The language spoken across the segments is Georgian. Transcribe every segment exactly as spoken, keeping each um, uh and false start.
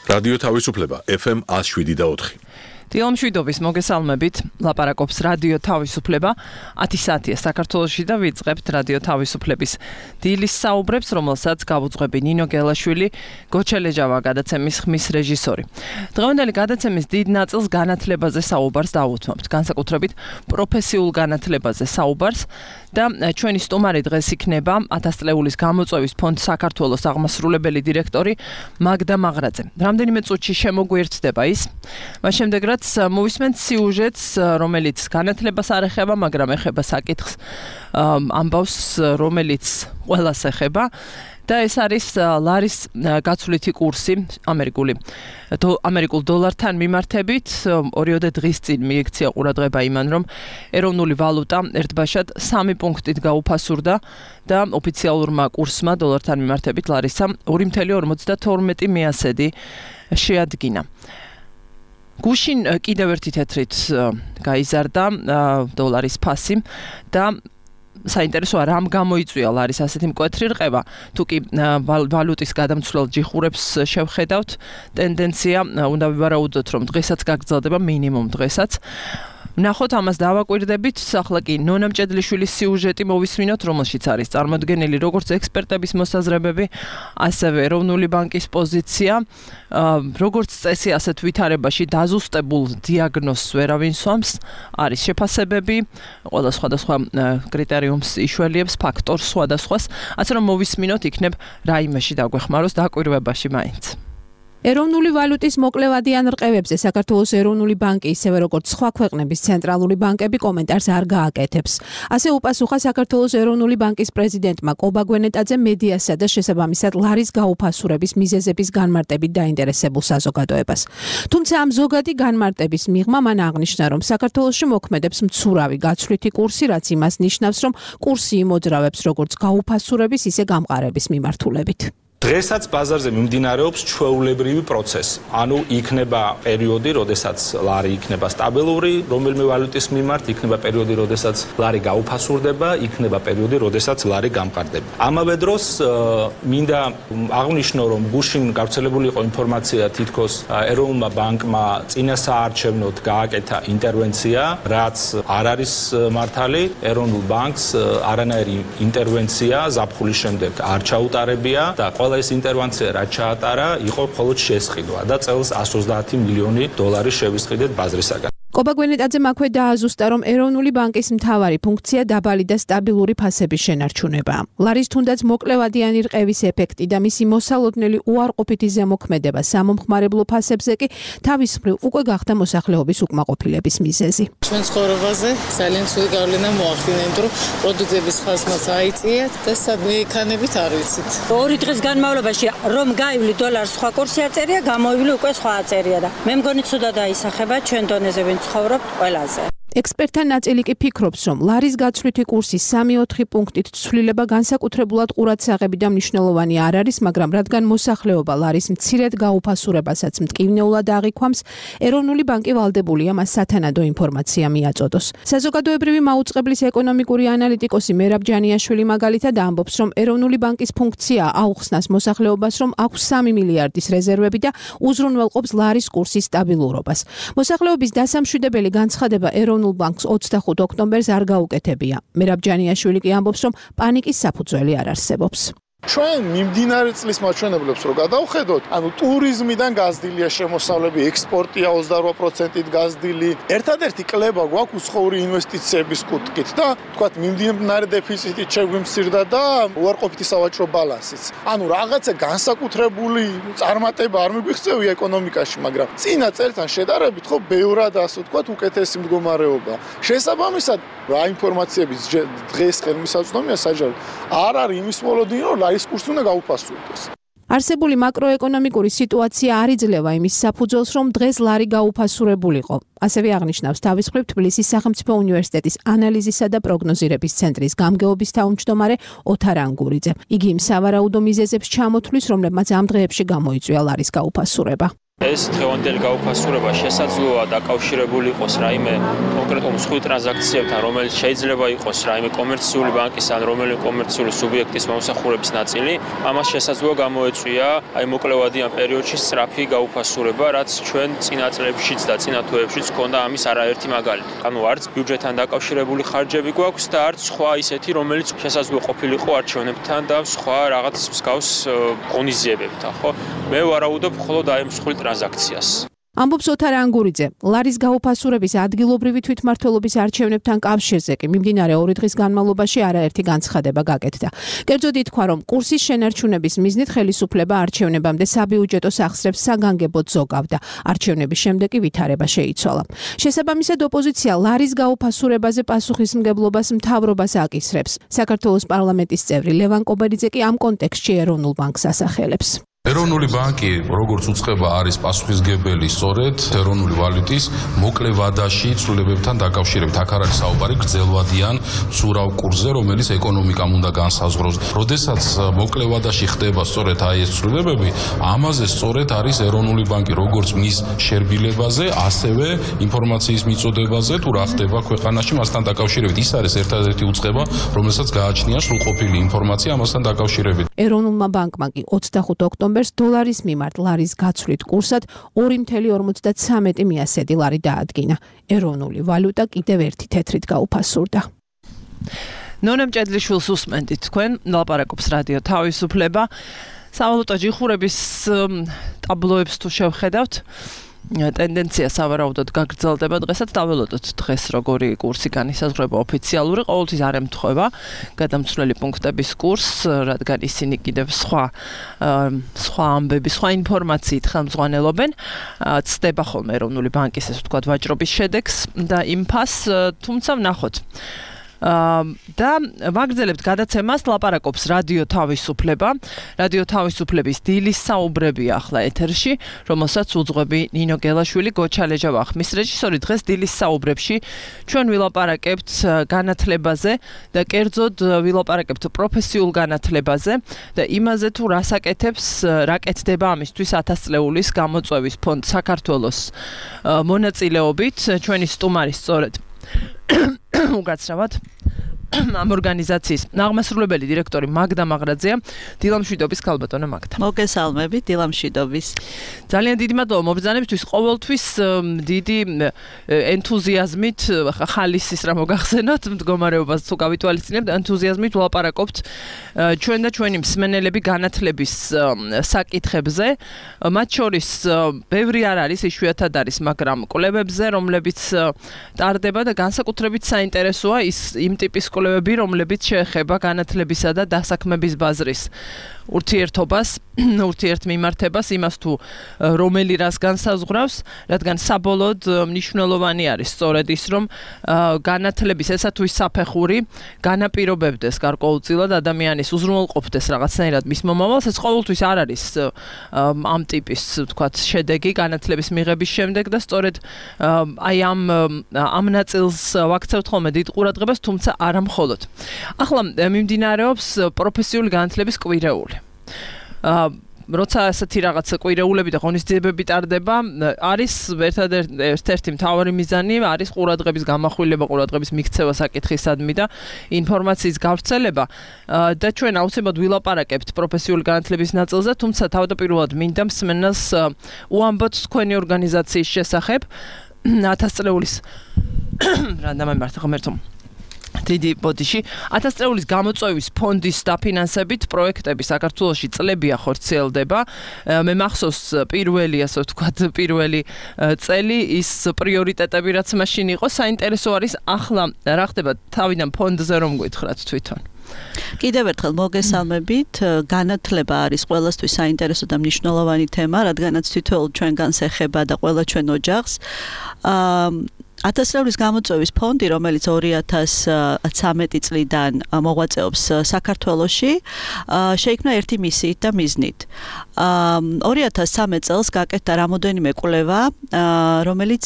რადიო თავისუფლება ეფ ემ ათს შვიდი და ოთხი. დილამშვიდობის მოგესალმებით, ლაპარაკობს რადიო თავისუფლება, ათი საათია საქართველოში და ვიწყებთ რადიო თავისუფლების დილის საუბრებს, რომელსაც გავუძღვები ნინო გელაშვილი, გოჩელეჯავა გადაცემის ხმის რეჟისორი. დღევანდელი გადაცემის დიდ ნაწილს განათლებაზე საუბარს დავუთმობთ, განსაკუთრებით პროფესიულ განათლებაზე საუბარს და ჩვენი სტუმარი დღეს იქნება ათასწლეულის გამოწვევის ფონდ საქართველოს აღმასრულებელი დირექტორი მაგდა მაღრაძე. რამდენიმე წუთში შემოგვიერთდება ის, მას შემდეგ რაც მოვისმენთ სიუჟეტს, რომელიც განათლებას არ ეხება, მაგრამ ეხება საკითხს, ამბავს, რომელიც ყველას ეხება. და ეს არის ლარის გაცვლითი კურსი ამერიკული ამერიკულ დოლართან მიმართებით. ორიოდე დღის წინ მიექცია ყურადღება იმან, რომ ეროვნული ვალუტა ერთბაშად სამი პუნქტით გაუფასურდა და ოფიციალურმა კურსმა დოლართან მიმართებით ლარისა ორი ორმოცდაათი ორმოცდათორმეტი მეასედი შეადგინა. გუშინ კიდევ ერთი თეთრით გაიზარდა დოლარის ფასი და საინტერესოა რამ გამოიწვია ლარის ასეთი მკვეთრი რყევა. თუ კი ვალუტის გადამცვლელ ჯიხურებს შევხედავთ, ტენდენცია უნდა ვივარაუდოთ, რომ დღესაც გაგრძელდება, მინიმუმ დღესაც. ნახოთ, ამას დავაკვირდებით. ახლა კი ნონა მჭედლიშვილის სიუჟეტი მოვისმინოთ, რომელშიც არის წარმოდგენილი როგორც ექსპერტების მოსაზრებები, ასევე ეროვნული ბანკის პოზიცია. როგორც წესი, ასეთ ვითარებაში დაზუსტებულ დიაგნოზს ვერავინ სვამს, არის შეფასებები, ყველა სხვადასხვა კრიტერიუმს იშველიებს, ფაქტორს სხვადასხვას, ასე რომ მოვისმინოთ, იქნებ რაიმეში დაგვეხმაროს დაკვირვებაში მაინც. ეროვნული ვალუტის მოკლევადიან რყევებზე საქართველოს ეროვნული ბანკი, ისევე როგორც სხვა ქვეყნების ცენტრალური ბანკები კომენტარს არ გააკეთებს. ასე უპასუხა საქართველოს ეროვნული ბანკის პრეზიდენტმა კობა გვენეტაძე მედიასა და შესაბამისად ლარის გაუფასურების მიზეზების განმარტებით დაინტერესებულ საზოგადოებას. თუმცა ამ ზოგადი განმარტების მიღმა მან აღნიშნა, რომ საქართველოში მოქმედებს მცურავი გაცვლითი კურსი, რაც იმას ნიშნავს, რომ კურსი იმოძრავებს როგორც გაუფასურების, ისე გამყარების მიმართულებით. დღესაც ბაზარზე მიმდინარეობს ჩვეულებრივი პროცესი. ანუ იქნება პერიოდი, როდესაც ლარი იქნება სტაბილური, რომელიმე ვალუტის მიმართ, იქნება პერიოდი, როდესაც ლარი გაუფასურდება, იქნება პერიოდი, როდესაც ლარი გამყარდება. ამავე დროს მინდა აღნიშნო, რომ გუშინ გავრცელებული იყო ინფორმაცია, თითქოს ეროვნულმა ბანკმა წინა საარჩევნოდ გააკეთა ინტერვენცია, რაც არ არის მართალი. ეროვნულ ბანკს არანაირი ინტერვენცია ზაფხულის შემდეგ არ ჩაუტარებია და ყველა ეს ინტერვენცია რაც ჩაატარა, იყო მხოლოდ შესყიდვა და წელს εκατს ოცდაათი მილიონი დოლარი შევისყიდეთ ბაზრისაგან. კობა გვენეტაძემ აქვე დააზუსტა, რომ ეროვნული ბანკის მთავარი ფუნქცია დაბალი და სტაბილური ფასების შენარჩუნებაა. ლარის თუნდაც მოკლევადიანი რყევის ეფექტი და მისი მოსალოდნელი უარყოფითი ზემოქმედება სამომხმარებლო ფასებზე კი თავის მხრივ უკვე გახდა მოსახლეობის უკმაყოფილების მიზეზი. ჩვენ ცხოვრებაზე ძალიან ცუდი გავლენა მოახდინა, იმიტომ რომ პროდუქტების ხასმაც აიწიათ და სადმე იქანებით არ ვიცით. ორი დღის განმავლობაში რომ გაივლი დოლარს სხვა კურსი აწერია, გამოივლი უკვე სხვა აწერია და მე მგონი ცუდად აისახება ჩვენ დონეზე ცხოვრობ ყველაზე. ექსპერტთა ნაწილი კი ფიქრობს, რომ ლარის გაცვლითი კურსის სამი ოთხი პუნქტით ცვლილება განსაკუთრებულად ყურადსაღები და მნიშვნელოვანი არ არის, მაგრამ რადგან მოსახლეობა ლარის მცირედ გაუფასურებასაც მტკივნეულად აღიქვამს, ეროვნული ბანკი ვალდებულია მას სათანადო ინფორმაცია მიაწოდოს. საზოგადოებრივი მაუწყებლის ეკონომიკური ანალიტიკოსი მერაბ ჯანიაშვილი მაგალითად ამბობს, რომ ეროვნული ბანკის ფუნქცია აუხსნას მოსახლეობას, რომ აქვს სამი მილიარდის რეზერვები და უზრუნველყოფს ლარის კურსის სტაბილურობას. მოსახლეობის დასამშვიდებელი განცხადება ეროვნულ ბანკს ოცდახუთ ოქტომბერს არ გაუკეთებია. მერაბ ჯანიაშვილი კი ამბობს, რომ პანიკის საფუძველი არ არსებობს. ჩვენ მიმდინარე წლის მაჩვენებლებს რო გადავხედოთ, ანუ ტურიზმიდან გაზრდილია შემოსავლები, ექსპორტია ოცდარვა პროცენტით გაზრდილი. ერთადერთი კლება გვაქვს უცხოური ინვესტიციების კუთხით და თქვათ მიმდინარე დეფიციტით შეგვიმცირდა და უარყოფითი სავაჭრო ბალანსიც. ანუ რაღაცა განსაკუთრებული წარმატება არ მიგვიღწევია ეკონომიკაში, მაგრამ წინა წელთან შედარებით ხო ბევრად ასე ვთქვათ უკეთესი მდგომარეობა. შესაბამისად, რა ინფორმაციების დღეს ხელმისაწვდომია საჯარო არ არის იმის მოლოდინი, რომ ლარის კურსი უნდა გაუფასურდეს. არსებული მაკროეკონომიკური სიტუაცია არ იძლევა იმის საფუძველს, რომ დღეს ლარი გაუფასურებულიყო. ასევე აღნიშნავს თავის მხრივ თბილისის სახელმწიფო უნივერსიტეტის ანალიზისა და პროგნოზირების ცენტრის გამგეობის თავმჯდომარე ოთარ ანგურიძე. იგი იმ სავარაუდო მიზეზებს ჩამოთვლის, რომლებმაც ამ დღეებში გამოიწვია ლარის გაუფასურება. ეს დღევანდელი გაუფასურება შესაძლოა დაკავშირებული იყოს რაიმე კონკრეტულ მსხვილ ტრანზაქციებთან, რომელიც შეიძლება იყოს რაიმე კომერციული ბანკის ან რომელიმე კომერციული სუბიექტის მომსახურების ნაწილი. ამას შესაძლოა გამოეწვია აი მოკლევადიან პერიოდში სწრაფი გაუფასურება, რაც ჩვენ წინა წლებშიც და წინა თვეებშიც ჰქონდა ამის არაერთი მაგალითი. ანუ არც ბიუჯეტთან დაკავშირებული ხარჯები გვაქვს და არც სხვა ისეთი, რომელიც შესაძლოა ყოფილიყო არჩევნებთან და სხვა რაღაც მსგავს ღონისძიებებთან, ხო? მე ვარაუდობ მხოლოდ აი მსხვილ ტრანზაქციას. ამბობს ოთარ ანგურიძე. ლარის გაუფასურების ადგილობრივი თვითმმართველობის არჩევნებთან კავშირზე კი მიმდინარე ორი დღის განმავლობაში არაერთი განცხადება გაკეთდა. კერძოდ ითქვა, რომ კურსის შენარჩუნების მიზნით ხელისუფლება არჩევნებამდე საბიუჯეტო სახსრებს საგანგებოდ ზოგავდა. არჩევნების შემდეგ კი ვითარება შეიცვალა. შესაბამისად, ოპოზიცია ლარის გაუფასურებაზე პასუხისმგებლობას მთავრობას აკისრებს. საქართველოს პარლამენტის წევრი ლევან კობერიძე კი ამ კონტექსტში ეროვნულ ბანკს ასახელებს. ეროვნული ბანკი, როგორც უწყება, არის პასუხისმგებელი სწორედ ეროვნული ვალუტის მოკლე ვადაში ცვლილებებთან დაკავშირებით. აქ არის საუბარი გრძელვადიან მცურავ კურსზე, რომელიც ეკონომიკამ უნდა განსაზღვროს. როდესაც მოკლე ვადაში ხდება სწორედ აი ეს ცვლილებები, ამაზე სწორედ არის ეროვნული ბანკი, როგორც მის შერბილებაზე, ასევე ინფორმაციის მიწოდებაზე, თუ რა ხდება ქვეყანაში მასთან დაკავშირებით. ის არის ერთადერთი უწყება, რომელსაც გააჩნია სრულყოფილი ინფორმაცია ამასთან დაკავშირებით. ეროვნულმა ბანკმა კი ოცდახუთ ოქტომბერს დოლარის მიმართ ლარის გაცვლით კურსად ორი ოცდაათი ორმოცდათვრამეტი მიასედი ლარი დაადგინა. ეროვნული ვალუტა კიდევ ერთი თეთრით გაუფასურდა. ნონა მჭედლიშვილს უსმენთ თქვენ, ლაპარაკობს რადიო თავისუფლება. სავალუტო ჯიხურების ტაბლოებს თუ შევხედავთ, ტენდენცია სავარაუდოდ გაგრძელდება დღესაც. დაველოდოთ დღეს როგორი კურსი განისაზღვრება ოფიციალური, ყოველთვის არ ემთხვევა გადამცვლელი პუნქტების კურსს, რადგან ისინი კიდევ სხვა სხვა ამბები, სხვა ინფორმაციით ხელმძღვანელობენ. ცდება ხოლმე ეროვნული ბანკის ესე ვთქვათ ვაჭრობის შედეგს და იმ ფასს, თუმცა ვნახოთ. და ვაგრძელებთ გადაცემას, ლაპარაკობს რადიო თავისუფლება. რადიო თავისუფლების დილის საუბრები ახლა ეთერში, რომელსაც უძღვები ნინო გელაშვილი, გოჩალეჯა ვახმის რეჟისორი. დღეს დილის საუბრებში ჩვენ ვილაპარაკებთ განათლებაზე და კერძოდ ვილაპარაკებთ პროფესიულ განათლებაზე და იმაზე თუ რას აკეთებს, რა კეთდება ამისთვის ათასწლეულის გამოწვევის ფონდ საქართველოს მონაწილეობით. ჩვენი სტუმარი სწორედ უგაცრავად ამ ორგანიზაციის აღმასრულებელი დირექტორი მაგდა მაღრაძეა. დილამშვიდობის ქალბატონო მაგდა. მოგესალმებით, დილამშვიდობის. ძალიან დიდი მადლობა მობრძანებისთვის. ყოველთვის დიდი ენთუზიაზმით, ხალისის რა მოგახსენოთ, მდგომარეობას თუ გავითვალისწინებთ, ენთუზიაზმით ვლაპარაკობთ ჩვენ და ჩვენი მსმენელები განათლების საკითხებზე. მათ შორის ბევრი არ არის, იშვიათად არის, მაგრამ კვლევებზე, რომლებიც ტარდება და განსაკუთრებით საინტერესოა ის იმ ტიპის კვლევები, რომლებიც შეეხება განათლებისა და დასაქმების ბაზრის ურთიერთობას, ურთიერთმიმართებას, იმას თუ რომელი რას განსაზღვრავს, რადგან საბოლოოდ მნიშვნელოვანი არის სწორედ ის, რომ განათლების ესა თუ ის საფეხური განაპირობებდეს გარკვეულწილად ადამიანის უზრუნველყოფდეს რაღაცნაირად მის მომავალს. ეს ყოველთვის არ არის ამ ტიპის, ვთქვათ, შედეგი განათლების მიღების შემდეგ და სწორედ აი ამ ამ ნაწილს ვაქცევთ ხოლმე დიდ ყურადღებას, თუმცა არა მხოლოდ. ახლა მიმდინარეობს პროფესიული განათლების კვირეული. როცა ასეთი რაღაც კვირეულები და ღონისძიებები ტარდება, არის ერთ-ერთი მთავარი მიზანი, არის ყურადღების გამახვილება, ყურადღების მიქცევა საკითხისადმი და ინფორმაციის გავრცელება და ჩვენ აუცილებლად ვილაპარაკებთ პროფესიული განათლების ნაწილზე, თუმცა თავდაპირველად მინდა მსმენელს უამბოთ თქვენი ორგანიზაციის შესახებ. ათასწლეულის რა დამემართა ღმერთო დიდი ბოდიში ათასწლეულის გამოწვევის ფონდის დაფინანსებით პროექტები საქართველოში წლებია ხორციელდება. მე მახსოვს პირველი, ასე ვთქვათ, პირველი წელი ის პრიორიტეტები რაც მაშინ იყო, საინტერესო არის ახლა რა ხდება თავიდან ფონდზე რომ გითხრათ თვითონ. კიდევ ერთხელ მოგესალმებით. განათლება არის ყველასთვის საინტერესო და მნიშვნელოვანი თემა, რადგანაც თითოეულ ჩვენგანს ეხება და ყველა ჩვენ ოჯახს. ათასწლეულის გამოწვევის ფონდი, რომელიც ორი ათას ცხრამეტი წლიდან მოღვაწეობს საქართველოში, შეიქმნა ერთი მისიით და მიზნით. ორი ათას ცხრამეტ წელს გაკეთდა რამოდენიმე კვლევა, რომელიც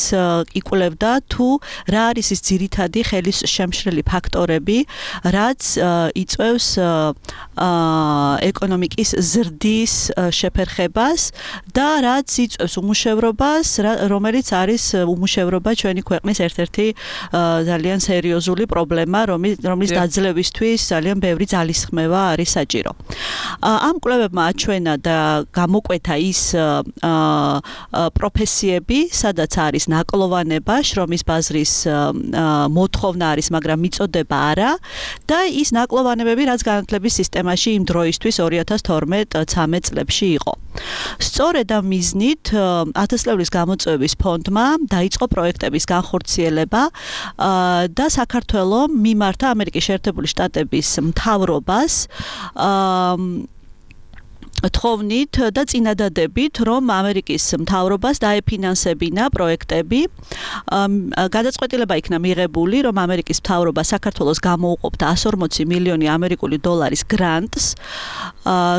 იკვლევდა თუ რა არის ის ძირითადი ხელისშემშლელი ფაქტორები, რაც იწვევს ეკონომიკის ზრდის შეფერხებას და რაც იწვევს უმუშევრობას, რომელიც არის უმუშევრობა ჩვენი ქვეყნის ერთ-ერთი ძალიან სერიოზული პრობლემა, რომლის დაძლევისთვის ძალიან ბევრი ძალისხმევა არის საჭირო. ამ კვლევებმა აჩვენა და გამოკვეთა ის პროფესიები, სადაც არის ნაკლოვანება, შრომის ბაზრის მოთხოვნა არის, მაგრამ მიწოდება არა და ის ნაკლოვანებები, რაც განათლების სისტემაში იმ დროისთვის ორი ათას თორმეტ ცხრამეტ წლებში იყო. სწორედ ამ მიზნით ათასწლეულის გამოწვევის ფონდმა დაიწყო პროექტების განხორციელება და საქართველოს მიმართა ამერიკის შეერთებული შტატების მთავრობას თხოვნით და წინადადებით, რომ ამერიკის მთავრობას დაეფინანსებინა პროექტები. გადაწყვეტილება იქნა მიღებული, რომ ამერიკის მთავრობა საქართველოს გამოუყოფდა εκατს ორმოცი მილიონი ამერიკული დოლარის გრანტს,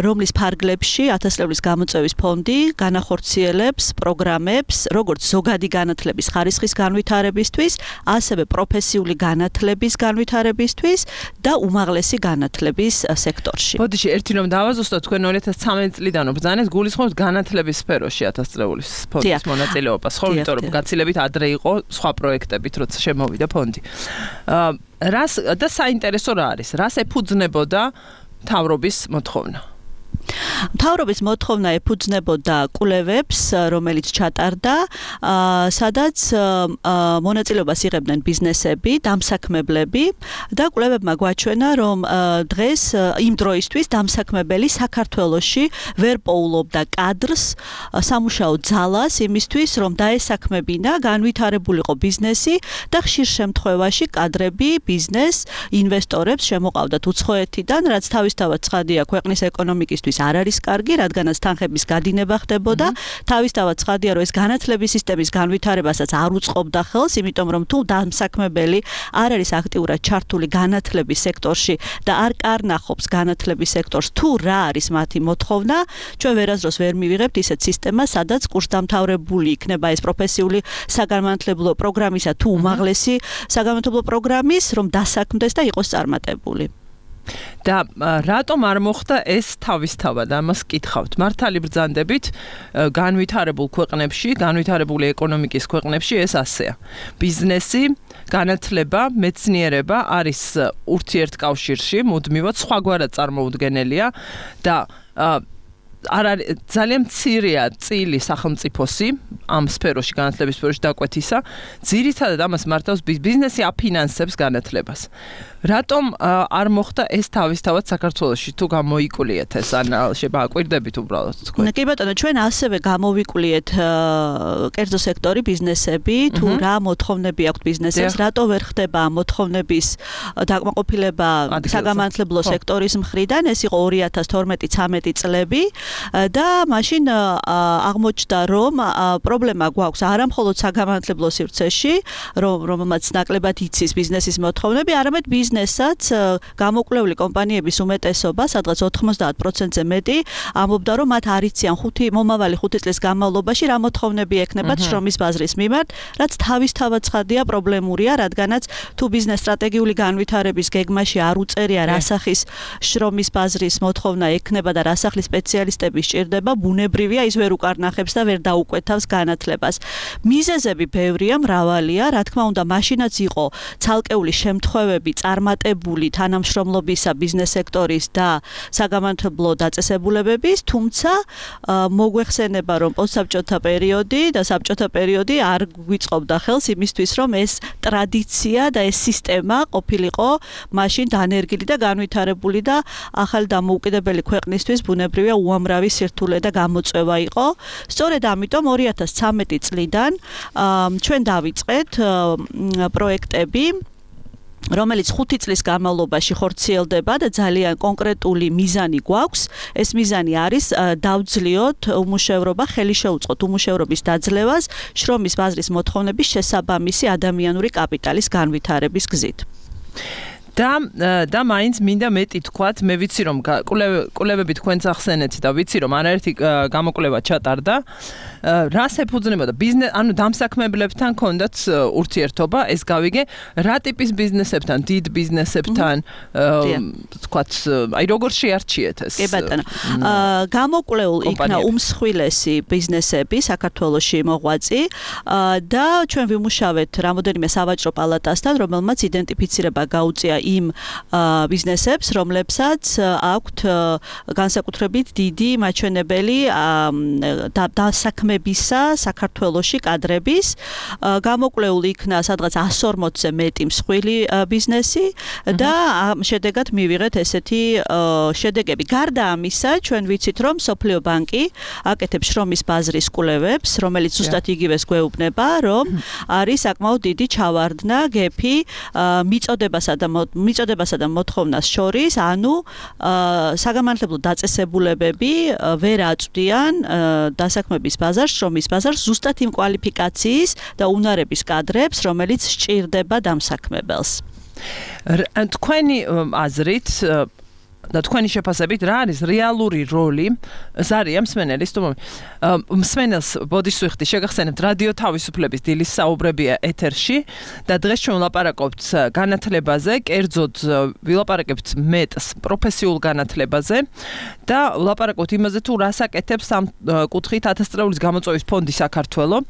რომლის ფარგლებში ათასწლეულის გამოწვევის ფონდი განახორციელებს პროგრამებს, როგორც ზოგადი განათლების ხარისხის განვითარებისთვის, ასევე პროფესიული განათლების განვითარებისთვის და უმაღლესი განათლების სექტორში. ბოდიში, ერთი რომ დავაზუსტოთ, თქვენ ორი ათას ცხრამეტ წლიდან ბრძანეთ, გულისხმობთ განათლების სფეროში ათასწლეულის ფონდის მონაწილეობას, ხო, იმიტომ რომ გაცილებით ადრე იყო სხვა პროექტებით, როცა შემოვიდა ფონდი. რას და საინტერესო რა არის? რას ეფუძნებოდა მთავრობის მოთხოვნა? მთავრობის მოთხოვნა ეფუძნებოდა კვლევებს, რომელიც ჩატარდა, სადაც მონაწილეობას იღებდნენ ბიზნესები, დამსაქმებლები და კვლევებმა გვაჩვენა, რომ დღეს იმ დროისთვის დამსაქმებელი საქართველოში ვერ პოულობდა კადრს, სამუშაო ძალას იმისთვის, რომ დაესაქმებინა, განვითარებულიყო ბიზნესი და ხშირ შემთხვევაში კადრები ბიზნეს ინვესტორებს შემოყავდათ უცხოეთიდან, რაც თავისთავად ცხადია ქვეყნის ეკონომიკისთვის არ არის კარგი, რადგანაც თანხების გადინება ხდებოდა. თავისთავად ცხადია, რომ ეს განათლების სისტემის განვითარებასაც არ უწყობდა ხელს, იმიტომ რომ თუ დამსაქმებელი არ არის აქტიურად ჩართული განათლების სექტორში და არ კარნახობს განათლების სექტორს, თუ რა არის მათი მოთხოვნა, ჩვენ ვერასდროს ვერ მივიღებთ ისეთ სისტემას, სადაც კურსდამთავრებული იქნება ეს პროფესიული საგანმანათლებლო პროგრამისა თუ უმაღლესი საგანმანათლებლო პროგრამის, რომ დასაქმდეს და იყოს წარმატებული. და რატომ არ მოხდა ეს თავისთავად? ამას კითხავთ. მართალი ბრძანდებით განვითარებულ ქვეყნებში, განვითარებული ეკონომიკის ქვეყნებში ეს ასეა. ბიზნესი, განათლება, მეცნიერება არის ურთიერთკავშირში, მუდმივად სხვაგვარად წარმოუდგენელია და არ არის ძალიან მცირეა წილი სახელმწიფოსი ამ სფეროში, განათლების სფეროში დაკვეთისა. ძირითადად ამას მართავს ბიზნესი აფინანსებს განათლებას. რატომ არ მოხდა ეს თავისთავად საქართველოში? თუ გამოიკულიეთ ეს, ან შეაკვირდებით უბრალოდ თქვენ? კი ბატონო, ჩვენ ასევე გამოვიკულიეთ კერძო სექტორი, ბიზნესები, თუ რა მოთხოვნები აქვთ ბიზნესებს, რატო ვერ ხდება მოთხოვნების დაკმაყოფილება საგანმანათლებლო სექტორის მხრიდან. ეს იყო ორი ათას თორმეტი ცხრამეტი წლები და მაშინ აღმოჩნდა, რომ პრობლემა გვაქვს არა მხოლოდ საგანმანათლებლო სივრცეში, რომელმაც ნაკლებად იცის ბიზნესის მოთხოვნები, არამედ ბიზნესაც გამოკვლეული კომპანიების უმეტესობა, სადღაც ოთხმოცდაათ პროცენტზე მეტი, ამბობდა, რომ მათ არ იციან ხუთი მომავალი ხუთი წლის განმავლობაში რა მოთხოვნები ექნებათ შრომის ბაზრის მიმართ, რაც თავისთავად ცხადია პრობლემურია, რადგანაც თუ ბიზნეს სტრატეგიული განვითარების გეგმაში არ უწერია რა სახის შრომის ბაზრის მოთხოვნა ექნება და რა სახის სპეციალისტები სჭირდება, ბუნებრივია ის ვერ უკარნახებს და ვერ დაუკვეთავს განათლებას. მიზეზები ბევრია, მრავალია, რა თქმა უნდა, მაშინაც იყო ცალკეული შემთხვევები წარმატებული თანამშრომლობისა ბიზნეს სექტორის და საგანმანათლებლო დაწესებულებების, თუმცა მოგვეხსენება, რომ პოსტსაბჭოთა პერიოდი და საბჭოთა პერიოდი არ გვიწყობდა ხელს იმისთვის, რომ ეს ტრადიცია და ეს სისტემა ყოფილიყო მაშინ დანერგილი და განვითარებული და ახალი დამოუკიდებელი ქვეყნისთვის ბუნებრივია უამრავი სირთულე და გამოწვევა იყო. სწორედ ამიტომ ორი ათას ცხრამეტი წლიდან ჩვენ დავიწყეთ პროექტები რომელიც ხუთი წლის განმავლობაში ხორციელდება და ძალიან კონკრეტული მიზანი გვაქვს. ეს მიზანი არის დავძლიოთ უმუშევრობა, ხელი შეუწყოთ უმუშევრობის დაძლევას, შრომის ბაზრის მოთხოვნების შესაბამისი ადამიანური კაპიტალის განვითარების გზით. და და მაინც მინდა მეტი თქვათ, მე ვიცი რომ კვლევები თქვენს ახსენეთ და ვიცი რომ არაერთი გამოკვლევა ჩატარდა. რას ეფუძნებოდა ბიზნეს, ანუ დამსაქმებლებთან ქონდათ ურთიერთობა, ეს გავიგე, რა ტიპის ბიზნესებთან, დიდ ბიზნესებთან, თქვათ, აი როგორ შეარჩიეთ ეს? კი ბატონო. გამოკვლეულ იქნა უმსხვილესი ბიზნესები საქართველოში მოღვაწი და ჩვენ ვიმუშავეთ რამოდენიმე სავაჭრო პალატასთან, რომელმაც იდენტიფიცირება გაუწია იმ ბიზნესებს, რომლებსაც აქვთ განსაკუთრებით დიდი მაჩვენებელი დასაქმებისა საქართველოში კადრების. გამოკვლეული იქნა სადღაც εκατს ორმოცზე მეტი მსხვილი ბიზნესი და შედეგად მივიღეთ ესეთი შედეგები. გარდა ამისა, ჩვენ ვიცით, რომ სოფლიო ბანკი აკეთებს შრომის ბაზრის კვლევებს, რომელიც ზუსტად იგივეს გვეუბნება, რომ არის საკმაოდ დიდი ჩავარდნა გეფი მიწოდებასა და მიწოდებასა და მოთხოვნას შორის, ანუ საგამართლებლო დაწესებულებები ვერ აწვდიან დასაქმების ბაზარს, შრომის ბაზარს ზუსტად იმ კვალიფიკაციის და უნარების კადრებს, რომელიც სჭირდება დამსაქმებელს. თქვენი აზრით და თქვენი შეფასებით რა არის რეალური როლი ზარია მსმენელის თუ მსმენელს ბოდისუხტი შეგახსენებთ რადიო თავისუფლების დილის საუბრებია ეთერში და დღეს ჩვენ ვლაპარაკობთ განათლებაზე, კერძოდ ვილაპარაკებთ მეტს პროფესიულ განათლებაზე და ვლაპარაკობთ იმაზე თუ რას აკეთებს ამ კუთხით ათასწლეულის გამოწვევის ფონდი საქართველო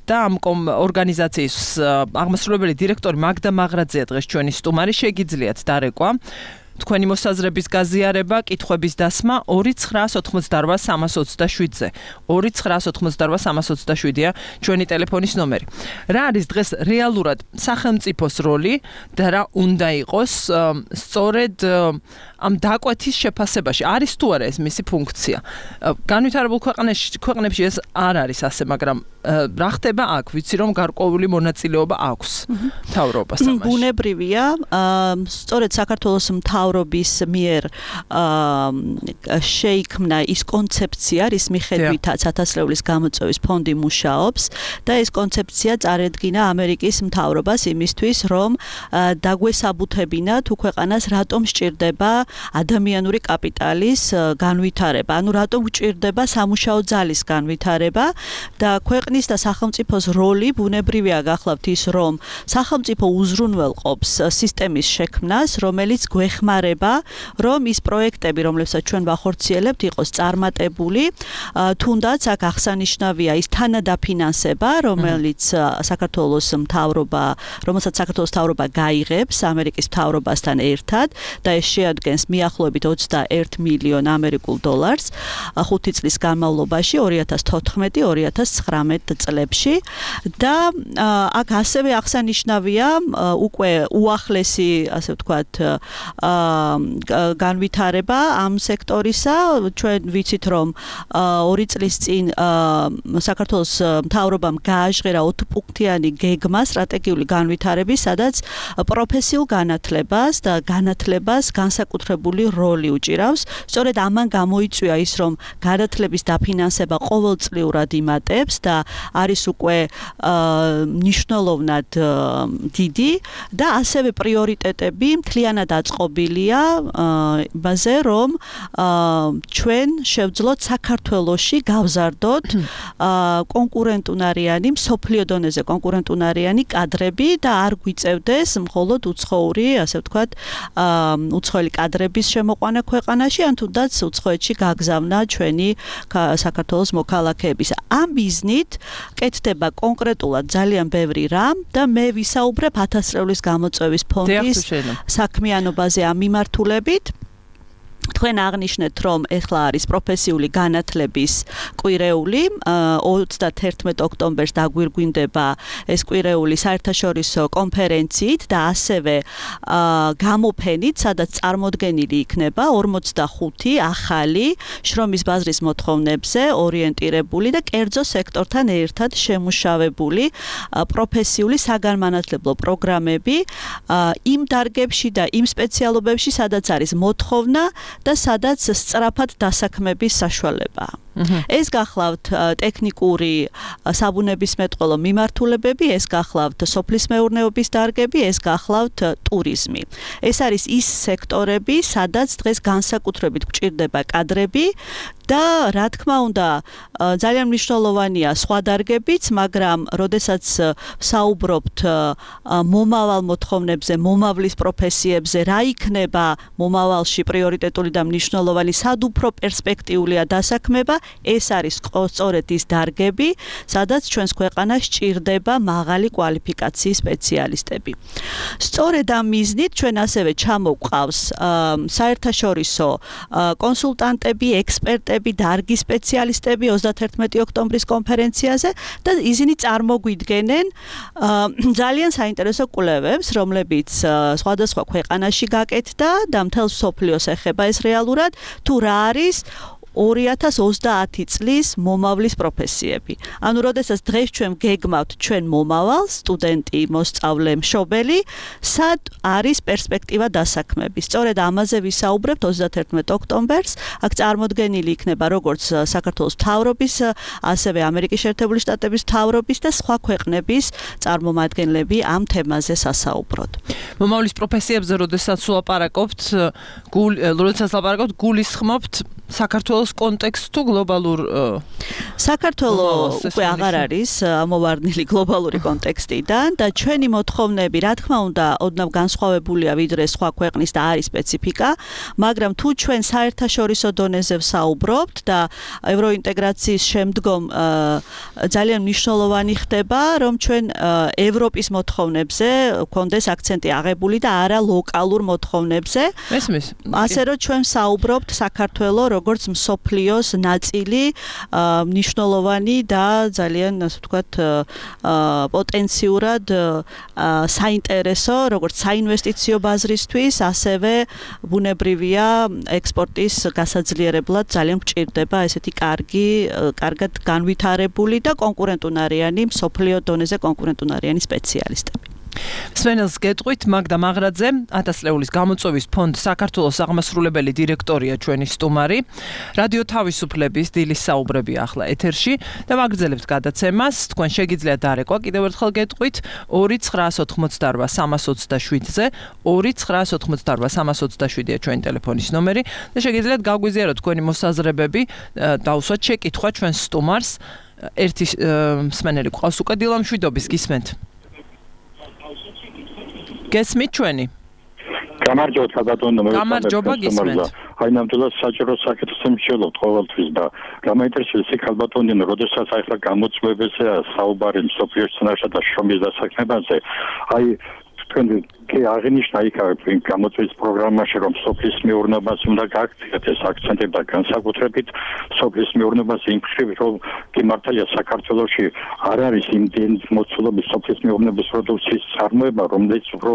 და ამ ორგანიზაციის აღმასრულებელი დირექტორი მაგდა მაღრაძეა დღეს ჩვენი სტუმარი, შეგიძლიათ დარეკვა თქვენი მოსაზრების გაზიარება, კითხვების დასმა ორი ცხრა ოთხმოცდაოთხ სამას ოცდაშვიდზე. ორი ცხრა ოთხმოცდაოთხ სამას ოცდაშვიდია ჩვენი ტელეფონის ნომერი. რა არის დღეს რეალურად სახელმწიფოს როლი და რა უნდა იყოს სწორედ ამ დაკვეთის შეფასებაში? არის თუ არა ეს მისი ფუნქცია? განვითარებულ ქვეყნებში ქვეყნებში ეს არ არის ასე, მაგრამ რა ხდება აქ? ვიცი რომ გარკვეული მონაწილეობა აქვს მთავრობას ამაში. ბუნებრივია, სწორედ საქართველოს მთავრობის მიერ შეიქმნა ის კონცეფცია, რის მიხედვითაც ათასწლეულის გამოწვევის ფონდი მუშაობს და ეს კონცეფცია წარედგინა ამერიკის მთავრობას იმისთვის, რომ დაგვესაბუთებინა თუ ქვეყანას რატომ სჭირდება ადამიანური კაპიტალის განვითარება, ანუ რატომ გვჭირდება სამუშაო ძალის განვითარება და ქვეყნის და სახელმწიფოს როლი ბუნებრივია გახლავთ ის, რომ სახელმწიფო უზრუნველყოფს სისტემის შექმნას, რომელიც გვეხმარება, რომ ის პროექტები, რომლებსაც ჩვენ ვახორციელებთ, იყოს წარმატებული, თუნდაც აქ აღსანიშნავია ის თანადაფინანსება, რომელიც საქართველოს მთავრობა, რომელსაც საქართველოს მთავრობა გაიღებს ამერიკის მთავრობასთან ერთად და ეს შეადგენს მიახლოებით ოცდაერთ მილიონ ამერიკულ დოლარს ხუთი წლის განმავლობაში ორი ათას თოთხმეტი ორი ათას ცხრამეტ წლებში და აქ ასევე აღსანიშნავია უკვე უახლესი, ასე ვთქვათ, განვითარება ამ სექტორისა. ჩვენ ვიცით, რომ ორი წლის წინ საქართველოს მთავრობამ გააჟღერა ოთხპუნქტიანი გეგმა სტრატეგიული განვითარების, სადაც პროფესიულ განათლებას და განათლებას განსაკუთრებული როლი უჭირავს. სწორედ ამან გამოიწვია ის, რომ განათლების დაფინანსება ყოველწლიურად იმატებს და არის უკვე მნიშვნელოვნად დიდი და ასევე პრიორიტეტები მთლიანად აწყობილია იმაზე, რომ ჩვენ შევძლოთ საქართველოში გავზარდოთ კონკურენტუნარიანი, მსოფლიო დონეზე კონკურენტუნარიანი კადრები და არ გვიწევდეს მხოლოდ უცხოური, ასე ვთქვათ, უცხოელი კადრების შემოყვანა ქვეყანაში, ან თუნდაც უცხოეთში გაგზავნა ჩვენი საქართველოს მოქალაქეების. ამ მიზნით კეთდება კონკრეტულად ძალიან ბევრი რამ და მე ვისაუბრებ ათასწლეულის გამოწვევის ფონდის საქმიანობაზე ამ მიმართულებით. თქვენ აღნიშნეთ, რომ ეხლა არის პროფესიული განათლების კვირეული, ოცდათერთმეტ ოქტომბერს დაგვირგვინდება ეს კვირეული საერთაშორისო კონფერენციით და ასევე გამოფენით, სადაც წარმოდგენილი იქნება ორმოცდახუთი ახალი შრომის ბაზრის მოთხოვნებზე ორიენტირებული და კერძო სექტორთან ერთად შემუშავებული პროფესიული საგანმანათლებლო პროგრამები იმ დარგებში და იმ სპეციალობებში, სადაც არის მოთხოვნა და სადაც სწრაფად დასაქმების საშუალებაა. ეს გახლავთ ტექნიკური საბუნებისმეტყველო მიმართულებები, ეს გახლავთ სოფლის მეურნეობის დარგები, ეს გახლავთ ტურიზმი. ეს არის ის სექტორები, სადაც დღეს განსაკუთრებით გვჭირდება კადრები და რა თქმა უნდა ძალიან მნიშვნელოვანია სხვა დარგებიც, მაგრამ როდესაც საუბრობთ მომავალ მოთხოვნებზე, მომავლის პროფესიებზე, რა იქნება მომავალში პრიორიტეტული და მნიშვნელოვანი, სად უფრო პერსპექტიულია დასაქმება, ეს არის სწორედ ის დარგები, სადაც ჩვენს ქვეყანას ჭირდება მაღალი კვალიფიკაციის სპეციალისტები. სწორედ ამ მიზნით ჩვენ ასევე ჩამოვყავს საერთაშორისო კონსულტანტები, ექსპერტები, დარგის სპეციალისტები ოცდათერთმეტი ოქტომბრის კონფერენციაზე და ისინი წარმოგვიდგენენ ძალიან საინტერესო კვლევებს, რომლებიც სხვადასხვა ქვეყანაში გაკეთდა და მთელ მსოფლიოს ეხება ეს რეალურად, თუ რა არის ორი ათას ოცდაათი წლის მომავლის პროფესიები. ანუ როდესაც დღეს ჩვენ გეგმავთ ჩვენ მომავალს, სტუდენტი, მოსწავლე, მშობელი, სად არის პერსპექტივა დასაქმების. სწორედ ამაზე ვისაუბრებთ ოცდათერთმეტ ოქტომბერს. აქ წარმოდგენილი იქნება როგორც საქართველოს მთავრობის, ასევე ამერიკის შეერთებული შტატების მთავრობის და სხვა ქვეყნების წარმომადგენლები ამ თემაზე სასაუბროდ. მომავლის პროფესიებზე როდესაც ვლაპარაკობთ, როდესაც ვლაპარაკობთ, გულისხმობთ საქართველოს კონტექსტ თუ გლობალურ საქართველოს უკვე აღარ არის ამოვარდნილი გლობალური კონტექსტიდან და ჩვენი მოთხოვნები, რა თქმა უნდა, ოდნავ განსხვავებულია ვიდრე სხვა ქვეყნის და არის სპეციფიკა, მაგრამ თუ ჩვენ საერთაშორისო დონეზე ვსაუბრობთ და ევროინტეგრაციის შემდგომ ძალიან მნიშვნელოვანი ხდება, რომ ჩვენ ევროპის მოთხოვნებზე გვქონდეს აქცენტი აღებული და არა ლოკალურ მოთხოვნებზე. მესმის. ასე რომ ჩვენ ვსაუბრობთ საქართველოს როგორც მსოფლიოს ნაწილი, მნიშვნელოვანი და ძალიან, ასე ვთქვათ, პოტენციურად საინტერესო, როგორც საინვესტიციო ბაზრისთვის, ასევე ბუნებრივია ექსპორტის გასაძლიერებლად ძალიან გვჭირდება ესეთი კარგი, კარგად განვითარებული და კონკურენტუნარიანი, მსოფლიო დონეზე კონკურენტუნარიანი სპეციალისტები. სვენელს გეტყვით, მაგდა მაღრაძე, ათასწლეულის გამოწვევის ფონდ საქართველოს აღმასრულებელი დირექტორია ჩვენი სტუმარი. რადიო თავისუფლების დილის საუბრები ახლა ეთერში და ვაგრძელებთ გადაცემას. თქვენ შეგიძლიათ დარეკვა კიდევ ერთხელ გეტყვით ორი ცხრაას ოთხმოცდაორვა სამას ოცდაშვიდზე, ორი ცხრაას ოთხმოცდაორვა სამას ოცდაშვიდია ჩვენი ტელეფონის ნომერი და შეგიძლიათ გაგვიზიაროთ თქვენი მოსაზრებები, დაუსვათ შეკითხვა ჩვენს სტუმარს. ერთი მსმენელი გვყავს უკვე დილამშვიდობის, გისმენთ. გესმით ჩვენი? გამარჯობა საბატონო, მე გამარჯობა გისმენთ. აი ნამდვილად საჭირო საკითხს მშელობთ ყოველთვის და გამაინტერესებს იქ ალბათონი, როდესაც აი ხა გამოწვევებზე საუბარი მსოფლიოს წინაშე და შრომის დასაქმებაზე, აი თქვენ კი აღნიშნა იქ იმ გამოწვევის პროგრამაში, რომ სოფლის მეურნეობას უნდა გააქციოთ ეს აქცენტები და განსაკუთრებით სოფლის მეურნეობას იმ მხრივ, რომ კი მართალია საქართველოში არ არის იმდენი მოცულობის სოფლის მეურნეობის პროდუქციის წარმოება, რომელიც უფრო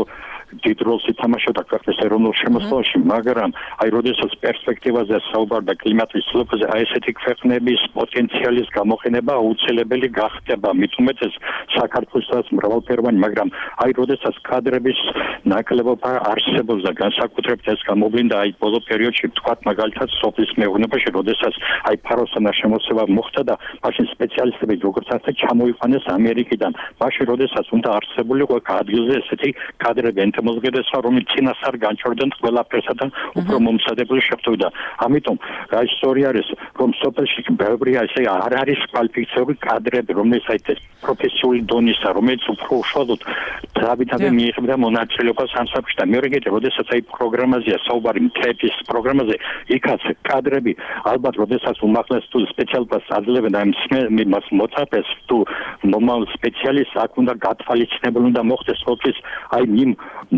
დიდ როლს ითამაშებდა ქვეყნის ეროვნულ შემოსავალში, მაგრამ აი როდესაც პერსპექტივაზე საუბარდა კლიმატის ცვლილებაზე, აი ესეთი ქვეყნების პოტენციალის გამოყენება აუცილებელი გახდება, მით უმეტეს საქართველოსაც მრავალფეროვანი, მაგრამ აი როდესაც კადრების ნაკლებობა არსებობს და განსაკუთრებით ეს გამოვლინდა აი ბოლო პერიოდში, თქვათ მაგალითად სოფლის მეურნეობაში, როდესაც აი ფაროსანა შემოსევა მოხდა და მაშინ სპეციალისტები როგორც ასე ჩამოიყვანეს ამერიკიდან, მაშინ როდესაც უნდა არსებულიყო ადგილზე ესეთი კადრები მოზგედესა, რომელიც წინასწარ განჩორდნენ ყველაფერსა და უფრო მომსადებული შეხვდა. ამიტომ რა ისტორია არის, რომ სოფელში ბევრი ასე არ არის კვალიფიციური კადრები, რომელიც აი ეს პროფესიული დონისა, რომელიც უფრო უშუალოდ დავითადე მიიღებდა მონაწილეობას განაცვლილი იყო სამსახურში და მეორე კიდე როდესაც აი პროგრამაზეა საუბარი მთების პროგრამაზე იქაც კადრები ალბათ როდესაც უმაღლეს თუ სპეციალობას აძლევენ და იმას მოწაფეს თუ მომავალ სპეციალისტს აქ უნდა გათვალისწინებული უნდა მოხდეს ყოველთვის აი იმ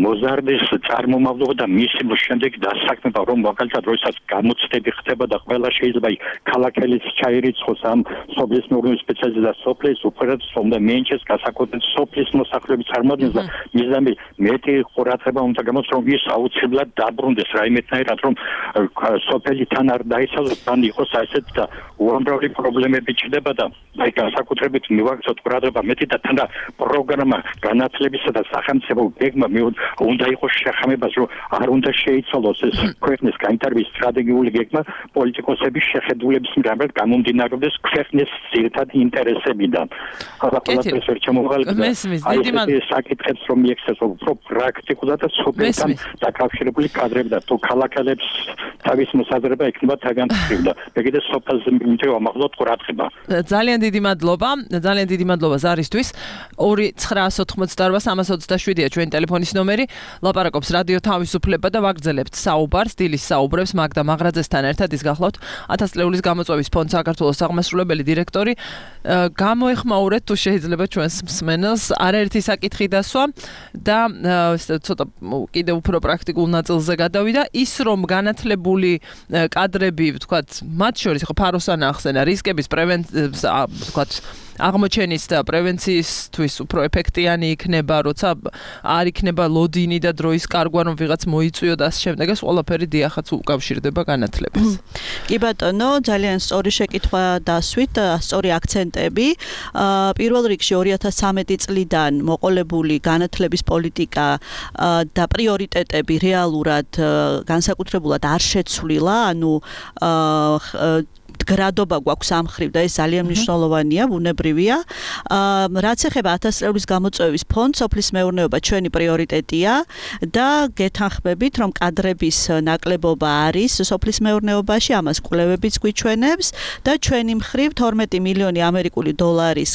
მოზარდის წარმომავლობა და მისი შემდეგ დასაქმება რომ მაგალითად როდესაც გამოცდები ხდება და ყველა შეიძლება ქალაქელიც ჩაირიცხოს ამ სოფლის მეურნეობის სპეციალისტი და სოფლის უპირატეს უნდა მიენჩეს გასაკუთრებით სოფლის მოსახლეობის წარმოადგენს და მიზანი მეტი ყურადღება უნდა გამოს რომ ის აუცილებლად დაბრუნდეს რაიმეთნაირად რომ სოფელი თან არ დაიცალოს თან იყოს ასეთ და უამრავი პრობლემები ჩნდება და აი განსაკუთრებით მივაქცევთ ყურადღება მეტი და თან და პროგრამა განათლებისა და სახელმწიფო გეგმა უნდა იყოს შეხამებას რომ არ უნდა შეიცვალოს ეს ქვეყნის განვითარების სტრატეგიული გეგმა პოლიტიკოსების შეხედულების მიხედვით გამომდინარეობდეს ქვეყნის ძირითადი ინტერესებიდან. ახლა ყველაფერს ვერ ჩამოვალებდა. აი ეს საკითხებს რომ მიექცეს უფრო პრაქტიკულად და სოფელთან დაკავშირებული კადრები და თუ ქალაქელებს თავის მოსაზრება ექნება თაგანთქმული და ეგრე სოფელზე მიმთევ ამაღლოთ ყურადღება. ძალიან დიდი მადლობა. ძალიან დიდი მადლობა ზარისთვის. ორი ცხრაასი ოთხმოცდაორვა სამას ოცდაშვიდია ჩვენი ტელეფონის ნომერი. ლაპარაკობს რადიო თავისუფლება და ვაგრძელებთ საუბარს დილის საუბრებს მაგდა მაღრაძესთან ერთად ის გახლავთ ათას წლეულის გამოწვევის ფონდ საქართველოს აღმასრულებელი დირექტორი. გამოეხმაურეთ თუ შეიძლება ჩვენს მსმენელს არაერთი საკითხი დასვა და ცოტა კიდე უფრო პრაქტიკულ ნაწილზე გადავიდა ის რომ განათლებული კადრები ვთქვათ მათ შორის ხო ფაროსანა ახსენა რისკების პრევენციის ვთქვათ აღმოჩენის და პრევენციისთვის უფრო ეფექტიანი იქნება, როცა არ იქნება ლოდინი და დროის კარგვა რომ ვიღაც მოიწვიო და ამ შემდეგ ეს ყველაფერი დიახაც უკავშირდება განათლებას. კი ბატონო, ძალიან სწორი შეკითხვა დასვით, სწორი აქცენტები. პირველ რიგში ორი ათას ცხრამეტი წლიდან მოყოლებული განათლების პოლიტიკა და პრიორიტეტები რეალურად განსაკუთრებულად არ შეცვლილა, ანუ გრადობა გვაქვს ამ მხრივ და ეს ძალიან მნიშვნელოვანია, ბუნებრივია. რაც ეხება ათას წლეულის გამოწვევის ფონდს, სოფლის მეურნეობა ჩვენი პრიორიტეტია და გეთანხმებით, რომ კადრების ნაკლებობა არის სოფლის მეურნეობაში, ამას კვლევებიც გვიჩვენებს და ჩვენი მხრივ თორმეტი მილიონი ამერიკული დოლარის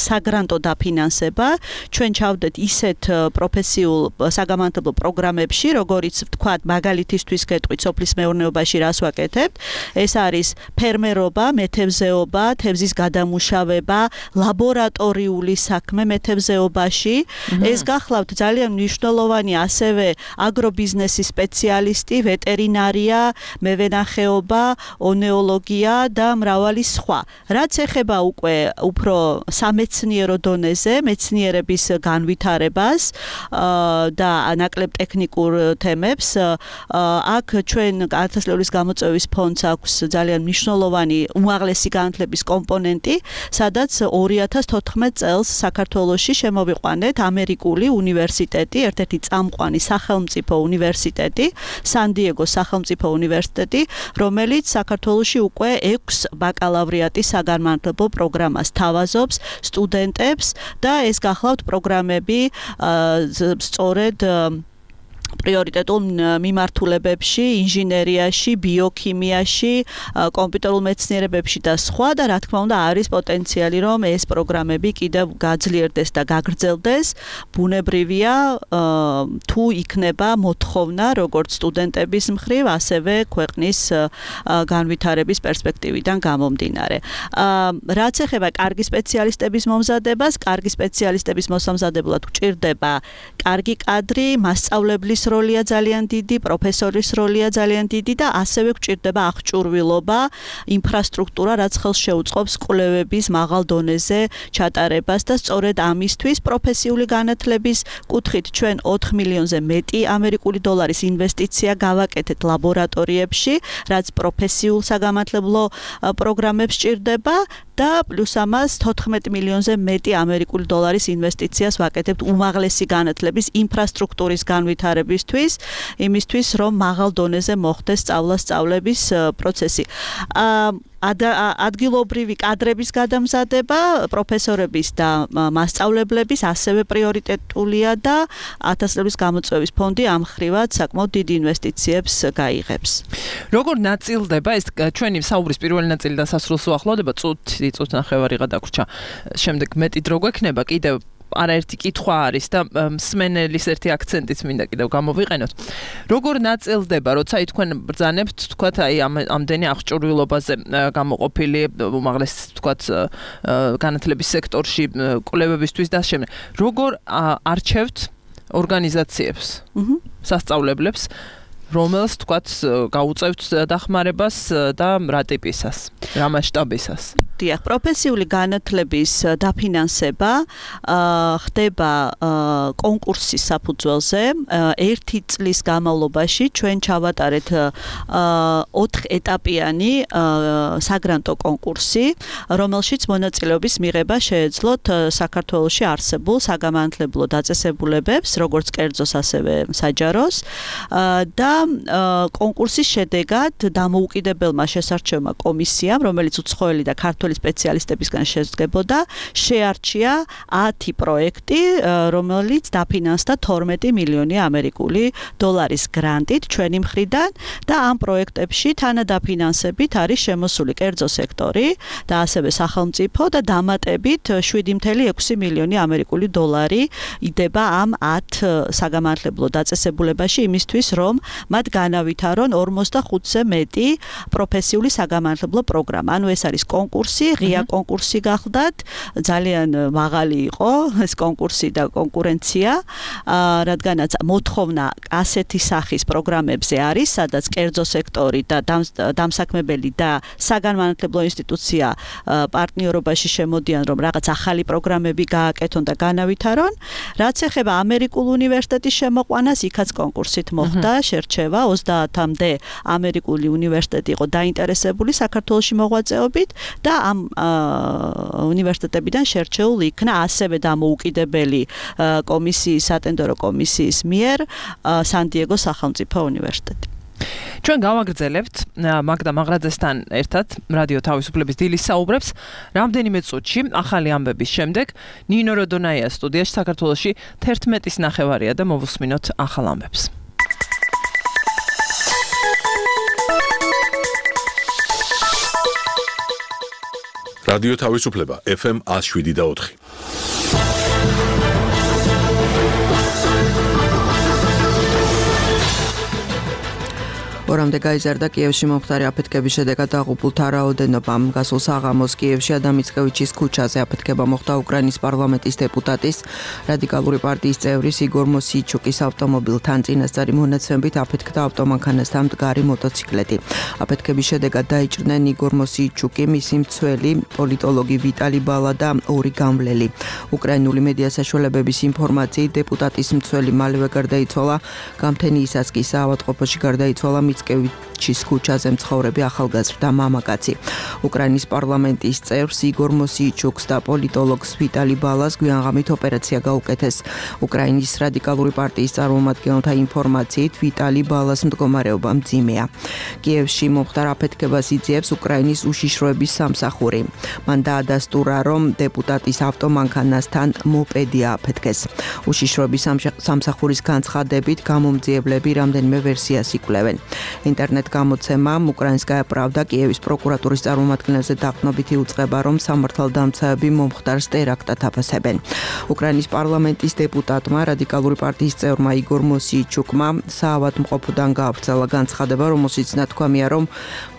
საგრანტო დაფინანსება ჩვენ ჩავდეთ ისეთ პროფესიულ საგამართლებლო პროგრამებში, როგორიც ვთქვათ, მაგალითისთვის გეტყვით სოფლის მეურნეობაში რას ვაკეთებთ, ეს არის ფერმერობა, მეთევზეობა, თევზის გადამუშავება, ლაბორატორიული საქმე მეთევზეობაში. ეს გახლავთ ძალიან მნიშვნელოვანი ასევე აგრობიზნესის სპეციალისტი, ვეტერინარია, მევენახეობა, ონეოლოგია და მრავალი სხვა. რაც ეხება უკვე უფრო სამეცნიერო დონეზე, მეცნიერების განვითარებას და ნაკლებ ტექნიკურ თემებს, აქ ჩვენ ათას წლეულის გამოწვევის ფონდს აქვს ძალიან მნიშვნელოვანი უმაღლესი განათლების კომპონენტი, სადაც ორი ათას თოთხმეტ წელს საქართველოში შემოვიყვანეთ ამერიკული უნივერსიტეტი, ერთ-ერთი წამყვანი სახელმწიფო უნივერსიტეტი, სან-დიეგოს სახელმწიფო უნივერსიტეტი, რომელიც საქართველოში უკვე ექვს ბაკალავრიატის საგანმანათლებლო პროგრამას თავაზობს სტუდენტებს და ეს გახლავთ პროგრამები სწორედ პრიორიტეტულ მიმართულებებში, ინჟინერიაში, ბიოქიმიაში, კომპიუტერულ მეცნიერებებში და სხვა და რა თქმა უნდა არის პოტენციალი რომ ეს პროგრამები კიდევ გაძლიერდეს და გაგრძელდეს. ბუნებრივია თუ იქნება მოთხოვნა როგორც სტუდენტების მხრივ, ასევე ქვეყნის განვითარების პერსპექტივიდან გამომდინარე. რაც ეხება კარგი სპეციალისტების მომზადებას, კარგი სპეციალისტების მოსამზადებლად გვჭირდება კარგი კადრი, მასწავლებლის როლია ძალიან დიდი, პროფესორის როლია ძალიან დიდი და ასევე გვჭირდება აღჭურვილობა, ინფრასტრუქტურა, რაც ხელს შეუწყობს კვლევების მაღალ დონეზე ჩატარებას და სწორედ ამისთვის პროფესიული განათლების კუთხით ჩვენ ოთხ მილიონზე მეტი ამერიკული დოლარის ინვესტიცია გავაკეთეთ ლაბორატორიებში, რაც პროფესიულ საგანმანათლებლო პროგრამებს ჭირდება და პლუს ამას თოთხმეტ მილიონზე მეტი ამერიკული დოლარის ინვესტიციას ვაკეთებთ უმაღლესი განათლების ინფრასტრუქტურის განვითარებისთვის, იმისთვის რომ მაღალ დონეზე მოხდეს სწავლა-სწავლების პროცესი. ადგილობრივი კადრების გადამზადება, პროფესორების და მასწავლებლების ასევე პრიორიტეტულია და ათას წლების გამოწვევის ფონდი ამ ხრივად საკმაოდ დიდ ინვესტიციებს გაიღებს. როგორ ნაწილდება ეს ჩვენი საუბრის პირველი ნაწილი დასასრულს უახლოვდება, წუთი, წუთნახევარი გადაგვრჩა. შემდეგ მეტი დრო გვექნება კიდევ არაერთი კითხვა არის და მსმენელის ერთი აქცენტიც მინდა კიდევ გამოვიყენოთ. როგორ ნაწილდება, როცა თქვენ ბრძანებთ, თქვათ, აი ამ ამდენი აღჭურვილობაზე გამოყოფილი უმაღლეს, თქვათ, განათლების სექტორში კვლევებისთვის და შემდეგ. როგორ არჩევთ ორგანიზაციებს, სასწავლებლებს, რომელს თქვათ გაუწევთ დახმარებას და რა ტიპისას, რა მასშტაბისას? დიახ, პროფესიული განათლების დაფინანსება ხდება კონკურსის საფუძველზე. ერთი წლის განმავლობაში ჩვენ ჩავატარეთ ოთხ-ეტაპიანი საგრანტო კონკურსი, რომელშიც მონაწილეობის მიღება შეეძლოთ საქართველოში არსებულ საგანმანათლებლო დაწესებულებებს, როგორც კერძოს, ასევე საჯაროს და კონკურსის შედეგად დამოუკიდებელმა შესარჩევმა კომისიამ, რომელიც უცხოელი და ქართველი სპეციალისტებისგან შედგებოდა, შეარჩია ათი პროექტი, რომელიც დაფინანსდა თორმეტი მილიონი ამერიკული დოლარის გრანტით ჩვენი მხრიდან და ამ პროექტებში თანადაფინანსებით არის შემოსული კერძო სექტორი და ასევე სახელმწიფო და დამატებით შვიდი წუთი ექვსი მილიონი ამერიკული დოლარი იდება ამ ათ საგანმანათლებლო დაწესებულებაში იმისთვის, რომ მათ განავითარონ ორმოცდახუთზე მეტი პროფესიული საგანმანათლებლო პროგრამა. ანუ ეს არის კონკურსი, ღია კონკურსი გახლდათ, ძალიან მაღალი იყო ეს კონკურსი და კონკურენცია, რადგანაც მოთხოვნა ასეთი სახის პროგრამებზე არის, სადაც კერძო სექტორი და დამსაქმებელი და საგანმანათლებლო ინსტიტუცია პარტნიორობაში შემოდიან, რომ რაღაც ახალი პროგრამები გააკეთონ და განავითარონ. რაც ეხება ამერიკულ უნივერსიტეტის შემოყვანას, იქაც კონკურსით მოხდა შერჩევა, ოცდაათამდე ამერიკული უნივერსიტეტი იყო დაინტერესებული საქართველოში მოღვაწეობით და ამ უნივერსიტეტებიდან შერჩეული იქნა ასევე დამოუკიდებელი კომისიის, სატენდერო კომისიის მიერ სან-დიეგოს სახელმწიფო უნივერსიტეტი. ჩვენ გავაგრძელებთ მაგდა მაღრაძესთან ერთად რადიო თავისუფლების დილის საუბრებს. რამდენიმე წუთში ახალი ამბების შემდეგ ნინო როდონაია სტუდიაში, საქართველოში თერთმეტის ნახევარია და მოვუსმინოთ ახალ ამბებს. რადიო თავისუფლება ეფ ემ ათს შვიდი და ოთხი. ორამდე გაიზარდა კიევში მომხდარი აფეთქების შედეგად დაღუპულთა რაოდენობამ. გასულ საღამოს კიევში ადამ მიცკევიჩის ქუჩაზე აფეთქება მოხდა უკრაინის პარლამენტის დეპუტატის, რადიკალური პარტიის წევრის იგორ მოსიჩუკის ავტომობილთან. წინასწარი მონაცემებით აფეთქდა ავტომანქანასთან მდგარი მოტოციკლეტი. აფეთქების შედეგად დაიჭრნენ იგორ მოსიჩუკი, მისი მცველი, პოლიტოლოგი ვიტალი ბალა და ორი გამვლელი. უკრაინული მედია საშუალებების ინფორმაციით დეპუტატის მცველი მალევე გარდაიცვალა, გამთენიისას კი საავადმყოფოში გარდაიცვალა მიცკევიჩის ქუჩაზე მცხოვრები ახალგაზრდა მამაკაცი. უკრაინის პარლამენტის წევრს იგორ მოსიჩუკს და პოლიტოლოგს ვიტალი ბალას გვიანღამით ოპერაცია გაუკეთეს. უკრაინის რადიკალური პარტიის წარმომადგენელთა ინფორმაციით ვიტალი ბალას მდგომარეობა მძიმეა. კიევში მომხდარ აფეთქებას იძიებს უკრაინის უშიშროების სამსახური. მან დაადასტურა, რომ დეპუტატის ავტომანქანასთან მოპედია აფეთქეს. უშიშროების სამსახურის განცხადებით გამომძიებლები რამდენიმე ვერსიას იკვლევენ. ინტერნეტ გამოცემა უკრაინსკაია პრავდა კიევის პროკურატურის წარმომადგენელზე დაყრდნობითი უწყება, რომ სამართალდამცავები მომხდარს ტერაქტად აფასებენ. უკრაინის პარლამენტის დეპუტატმა, რადიკალური პარტიის წევრმა იგორ მოსიჩუკმა საავადმყოფოდან გაავრცელა განცხადება, რომელშიც ნათქვამია, რომ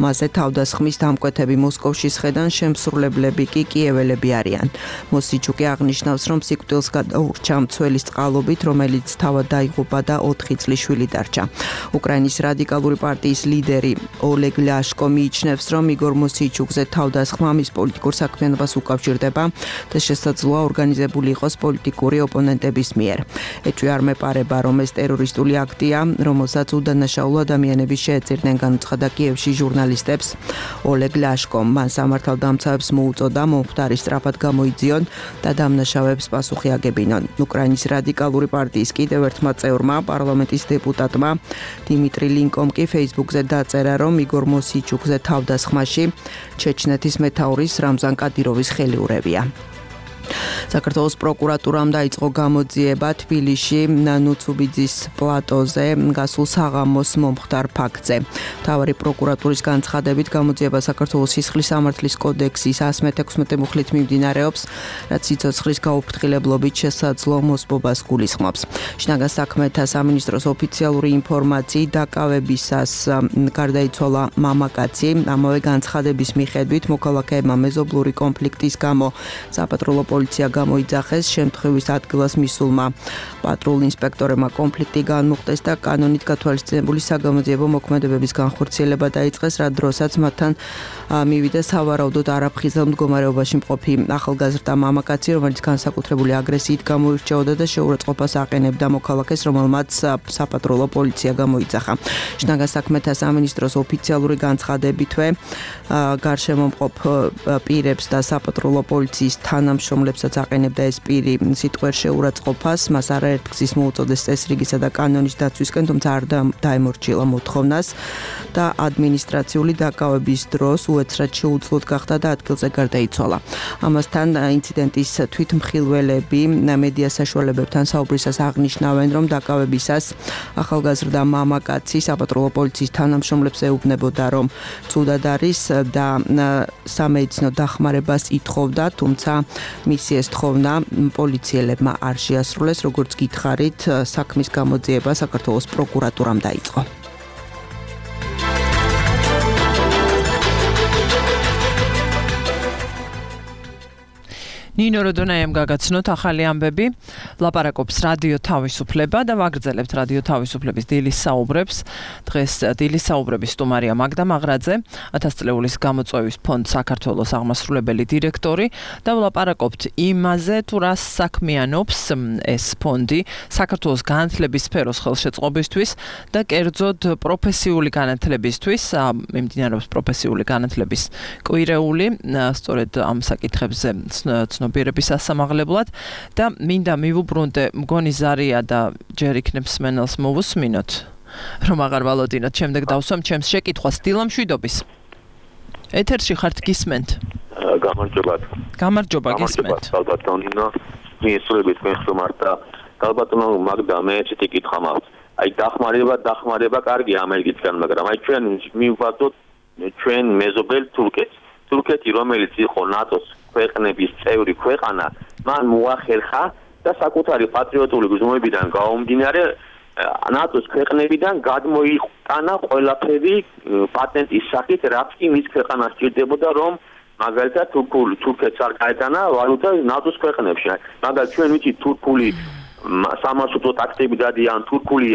მასზე თავდასხმის დამკვეთები მოსკოვში სხედან, შემსრულებლები კი კიეველები არიან. მოსიჩუკი აღნიშნავს, რომ სიკვდილს გადაურჩა მცველის წყალობით, რომელიც თავად დაიღუპა და ოთხი წლის შვილი დარჩა. უკრაინის რადიკალური პარტიის ლიდერი ოლეგ ლიაშკო მიიჩნევს, რომ იგორ მოსიჩუკზე თავდასხმა მის პოლიტიკურ საქმიანობას უკავშირდება და შესაძლოა ორგანიზებული იყოს პოლიტიკური ოპონენტების მიერ. ეჭვი არ მეპარება, რომ ეს ტერორისტული აქტია, რომელსაც უდანაშაულო ადამიანები შეეწირნენ, განუცხადა კიევში ჟურნალისტებს ოლეგ ლიაშკომ. მან სამართალდამცავებს მოუწოდა მომხდარი სწრაფად გამოიძიონ და დამნაშავეებს პასუხი აგებინონ. უკრაინის რადიკალური პარტიის კიდევ ერთმა წევრმა, პარლამენტის დეპუტატმა დიმიტრი ლინკომ კი Facebook-ზე დაწერა, რომ იგორ მოსიჩუკზე თავდასხმაში ჩეჩნეთის მეთაურის რამზან კადიროვის ხელიურებია. საქართველოს პროკურატურამ დაიწყო გამოძიება თბილისში ნუცუბიძის პლატოზე გასულ საღამოს მომხდარ ფაქტზე. მთავარი პროკურატურის განცხადებით გამოძიება საქართველოს სისხლის სამართლის კოდექსის one sixty-six მუხლით მიმდინარეობს, რაც სიცოცხლის გაუფრთხილებლობით შესაძლო მოსპობას გულისხმობს. შინაგან საქმეთა სამინისტროს ოფიციალური ინფორმაციით დაკავებისას გარდაიცვალა მამაკაცი. ამავე განცხადების მიხედვით მოქალაქეებმა მეზობლური კონფლიქტის გამო საპატრულო პოლიცია გამოიძახეს, შემთხვევის ადგილას მისულმა პატრულ ინსპექტორებმა კონფლიქტი განმუხტეს და კანონით გათვალისწინებული საგამოძიებო მოქმედებების განხორციელება დაიწყეს, რა დროსაც მათთან მივიდა სავარაუდოდ არაფხიზელ მდგომარეობაში მყოფი ახალგაზრდა მამაკაცი, რომელიც განსაკუთრებული აგრესიით გამოირჩეოდა და შეურაცხყოფას აყენებდა მოქალაქეს, რომელმაც საპატრულო პოლიცია გამოიძახა. შინაგან საქმეთა სამინისტროს ოფიციალური განცხადებითვე გარშემომყოფ პირებს და საპატრულო პოლიციის თანამშრომლებსაც აყენებდა ეს პირი სიტყვერ შეურაცხყოფას, მას არაერთ გზის მოუწოდეს წესრიგისა და კანონის დაცვისკენ, თუმცა არ დაემორჩილა მოთხოვნას და ადმინისტრაციული დაკავების დროს უეცრად შეუძლოდ გახდა და ადგილზე გარდაიცვალა. ამასთან ინციდენტის თვითმხილველები მედია საშუალებებთან საუბრისას აღნიშნავენ, რომ დაკავებისას ახალგაზრდა მამაკაცი საპატრულო პოლიციის თანამშრომლებს ეუბნებოდა, რომ ცუდად არის და სამედიცინო დახმარებას ითხოვდა, თუმცა მისი ეს თხოვნა პოლიციელებმა არ შეასრულეს, როგორც გითხარით, საქმის გამოძიება საქართველოს პროკურატურამ დაიწყო. ნინო როდონაიამ გაგაცნოთ ახალი ამბები, ლაპარაკობს რადიო თავისუფლება და ვაგრძელებთ რადიო თავისუფლების დილის საუბრებს. დღეს დილის საუბრების სტუმარია მაგდა მაღრაძე, ათას წლეულის გამოწვევის ფონდ საქართველოს აღმასრულებელი დირექტორი და ვლაპარაკობთ იმაზე, თუ რა საქმიანობს ეს ფონდი საქართველოს განათლების სფეროს ხელშეწყობისთვის და კერძოდ პროფესიული განათლებისთვის, მიმდინარეობს პროფესიული განათლების კვირეული, სწორედ ამ საკითხებზე ცნობიერების ასამაღლებლად და მინდა მივუბრუნდე მგონი ზარია და ჯერ იქნებს მენელს მოვუსმინოთ, რომ აღარ ვალოდინოთ, შემდეგ დავსვამ ჩემს შეკითხვას. დილა მშვიდობის. ეთერში ხართ, გისმენთ? გამარჯობა. გამარჯობა, გისმენთ. ალბათონინო, მიესწრებით თქვენ ხმართ და ალბათონო მაგდა მე ესეთი კითხვა მაქვს. აი დახმარება, დახმარება კარგი ამერიკისგან, მაგრამ აი ჩვენ მივხვდოთ ჩვენ მეზობელ თურქეთს. თურქეთი, რომელიც იყო ნატოს ქვეყნების წევრი ქვეყანა, მან მოახერხა და საკუთარი პატრიოტული გზნობიდან გაუმდინარე ნატოს ქვეყნებიდან გადმოიყანა ყველაფერი პატენტის სახით, რაც კი მის ქვეყანას სჭირდებოდა, რომ მაგალითად თურქული თურქეთს არ გაეტანა ვალუტა ნატოს ქვეყნებში. მაგალითად ჩვენ ვიცით თურქული სამარშრუტო ტაქსები დადიან, თურქული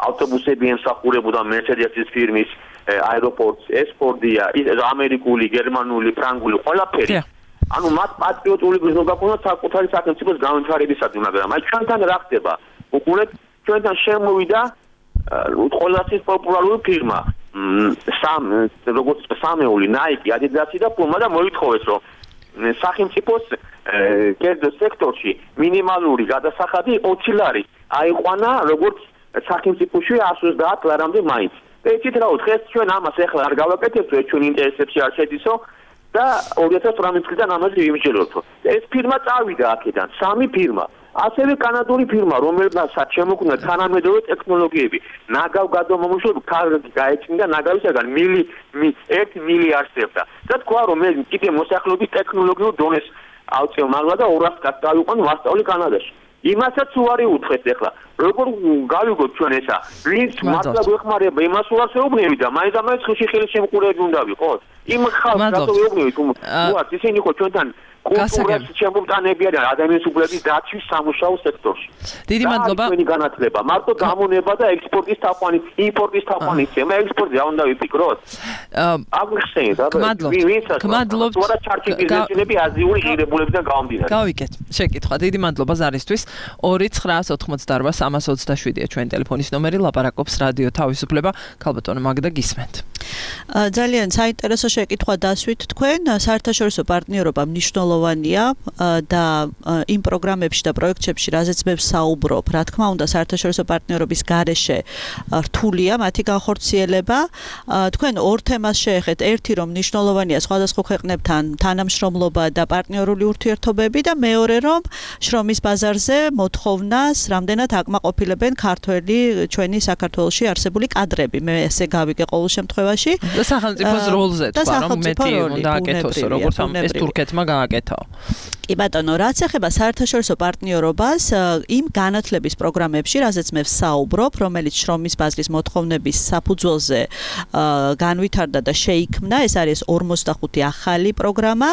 ავტობუსები ემსახურებოდა მერცედესის ფირმის აეროპორტს, ესპორდია, ამერიკული, გერმანული, ფრანგული, ყველაფერი. ანუ მათ პატრიოტული გზნობა ჰქონდათ საკუთარი სახელმწიფოს განვითარებისათვის, მაგრამ აი ჩვენთან რა ხდება? უყურეთ, ჩვენთან შემოვიდა ყველაზე პოპულარული ფირმა, სამ როგორც სამეული, Nike, Adidas და Puma და მოითხოვეს, რომ სახელმწიფოს კერძო სექტორში მინიმალური გადასახადი ოცი ლარი აიყვანა როგორც სახელმწიფოში one hundred twenty ლარამდე მაინც. და იცით რა ვთქვი, დღეს ჩვენ ამას ახლა არ გავაკეთებთ, ჩვენ ინტერესებში არ შედისო და ორი ათას ოცდაათი წლიდან ამაზე ვიმსჯელობთ. ეს ფირმა წავიდა აქედან, სამი ფირმა. ასევე კანადური ფირმა, რომელსაც შემოქმნა თანამედროვე ტექნოლოგიები, ნაგავ გადამამუშავებ კარგი გაეჩნდა ნაგავისაგან მილი one მილიარდს ევდა. და თქვა, რომ მე კიდე მოსახლეობის ტექნოლოგიურ დონეს ავწევ მაღლა და ორას კაც დავიყვან ვასწავლი კანადაში. იმასაც უარი უთხრეთ ახლა. როგორ გავიგოთ ჩვენ ესა? ვინც მართლა გვეხმარება, იმას უარს ეუბნები და მაინც ამას ხში ხელი შემყურები უნდა ვიყოთ. იმ ხალხს რატო ეუბნები თუ უარს ისინი ხო ჩვენთან კულტურას შემომტანებიან ადამიანის უფლების დაცვის სამუშაო სექტორში. დიდი მადლობა. ჩვენი განათლება, მარტო გამონება და ექსპორტის თაყვანი, იმპორტის თაყვანი, მე ექსპორტი რა უნდა ვიფიქროთ? აგხსენეთ, გმადლობთ. გმადლობთ. თუ არა ჩარჩი ბიზნესები აზიური ღირებულებიდან გავამდინარე. გავიკეთ. შეკითხვა. დიდი მადლობა ზარისთვის. ორი ცხრაას ოთხმოცდაარბა სამას ოცდაშვიდია ჩვენი ტელეფონის ნომერი, ლაპარაკობს რადიო თავისუფლება. ქალბატონო მაგდა გისმენთ. ძალიან საინტერესო შეკითხვა დასვით თქვენ. საერთაშორისო პარტნიორობა მნიშვნელოვანია და იმ პროგრამებში და პროექტებში, რაზეც მე ვსაუბრობ, რა თქმა უნდა, საერთაშორისო პარტნიორობის გარეშე რთულია მათი განხორციელება. თქვენ ორ თემას შეეხეთ, ერთი რომ მნიშვნელოვანია სხვადასხვა ქვეყნებთან თანამშრომლობა და პარტნიორული ურთიერთობები და მეორე რომ შრომის ბაზარზე მოთხოვნას რამდენად აკმაყოფილებენ ქართველი ჩვენი საქართველოში არსებული კადრები. მე ესე გავიგე ყოველ შემთხვევაში. და სახელმწიფოს როლზე თქვა რომ მეტი უნდა აკეთოს, როგორც ამ ეს თურქეთმა გააკეთა. კი ბატონო, რაც ეხება საერთაშორისო პარტნიორობას, იმ განათლების პროგრამებში, რაზეც მე ვსაუბრობ, რომელიც შრომის ბაზრის მოთხოვნების საფუძველზე განვითარდა და შეიქმნა, ეს არის ორმოცდახუთი ახალი პროგრამა.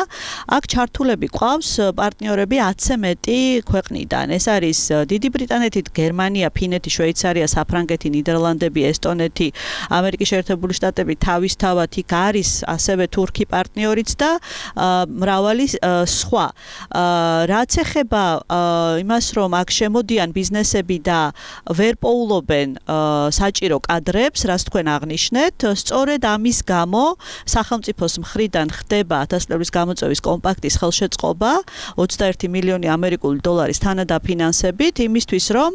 აქ ჩართულები ყავს პარტნიორები ათზე მეტი ქვეყნიდან. ეს არის დიდი ბრიტანეთი, გერმანია, ფინეთი, შვეიცარია, საფრანგეთი, ნიდერლანდები, ესტონეთი, ამერიკის შეერთებული შტატები, თავისთავად იქ არის ასევე თურქი პარტნიორიც და მრავალი სხვა. რაც ეხება იმას, რომ აქ შემოდიან ბიზნესები და ვერ პოულობენ საჭირო კადრებს, რაც თქვენ აღნიშნეთ, სწორედ ამის გამო სახელმწიფოს მხრიდან ხდება ათას წლების გამოწვევის კომპაქტის ხელშეწყობა ოცდაერთი მილიონი ამერიკული დოლარის თანადაფინანსებით იმისთვის, რომ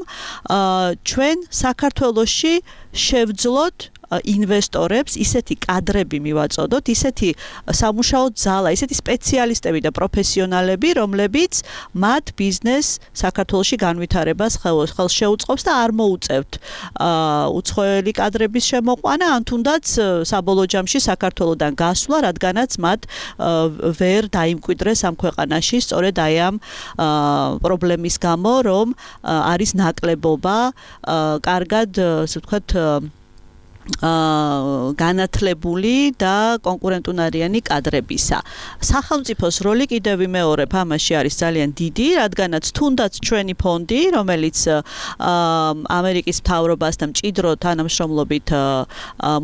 ჩვენ საქართველოში შევძლოთ ინვესტორებს, ისეთი კადრები მივაწოდოთ, ისეთი სამუშაო ძალა, ისეთი სპეციალისტები და პროფესიონალები, რომლებიც მათ ბიზნეს საქართველოში განვითარებას ხელს შეუწყობს და არ მოუწევთ უცხოელი კადრების შემოყვანა, ან თუნდაც საბოლოო ჯამში საქართველოდან გასვლა, რადგანაც მათ ვერ დაიმკვიდრეს ამ ქვეყანაში, სწორედ აი ამ პრობლემის გამო, რომ არის ნაკლებობა კარგად, ასე ვთქვათ, განათლებული და კონკურენტუნარიანი კადრებისა. სახელმწიფოს როლი კიდევ ვიმეორებ ამაში არის ძალიან დიდი, რადგანაც თუნდაც ჩვენი ფონდი, რომელიც ამერიკის მთავრობასთან მჭიდრო თანამშრომლობით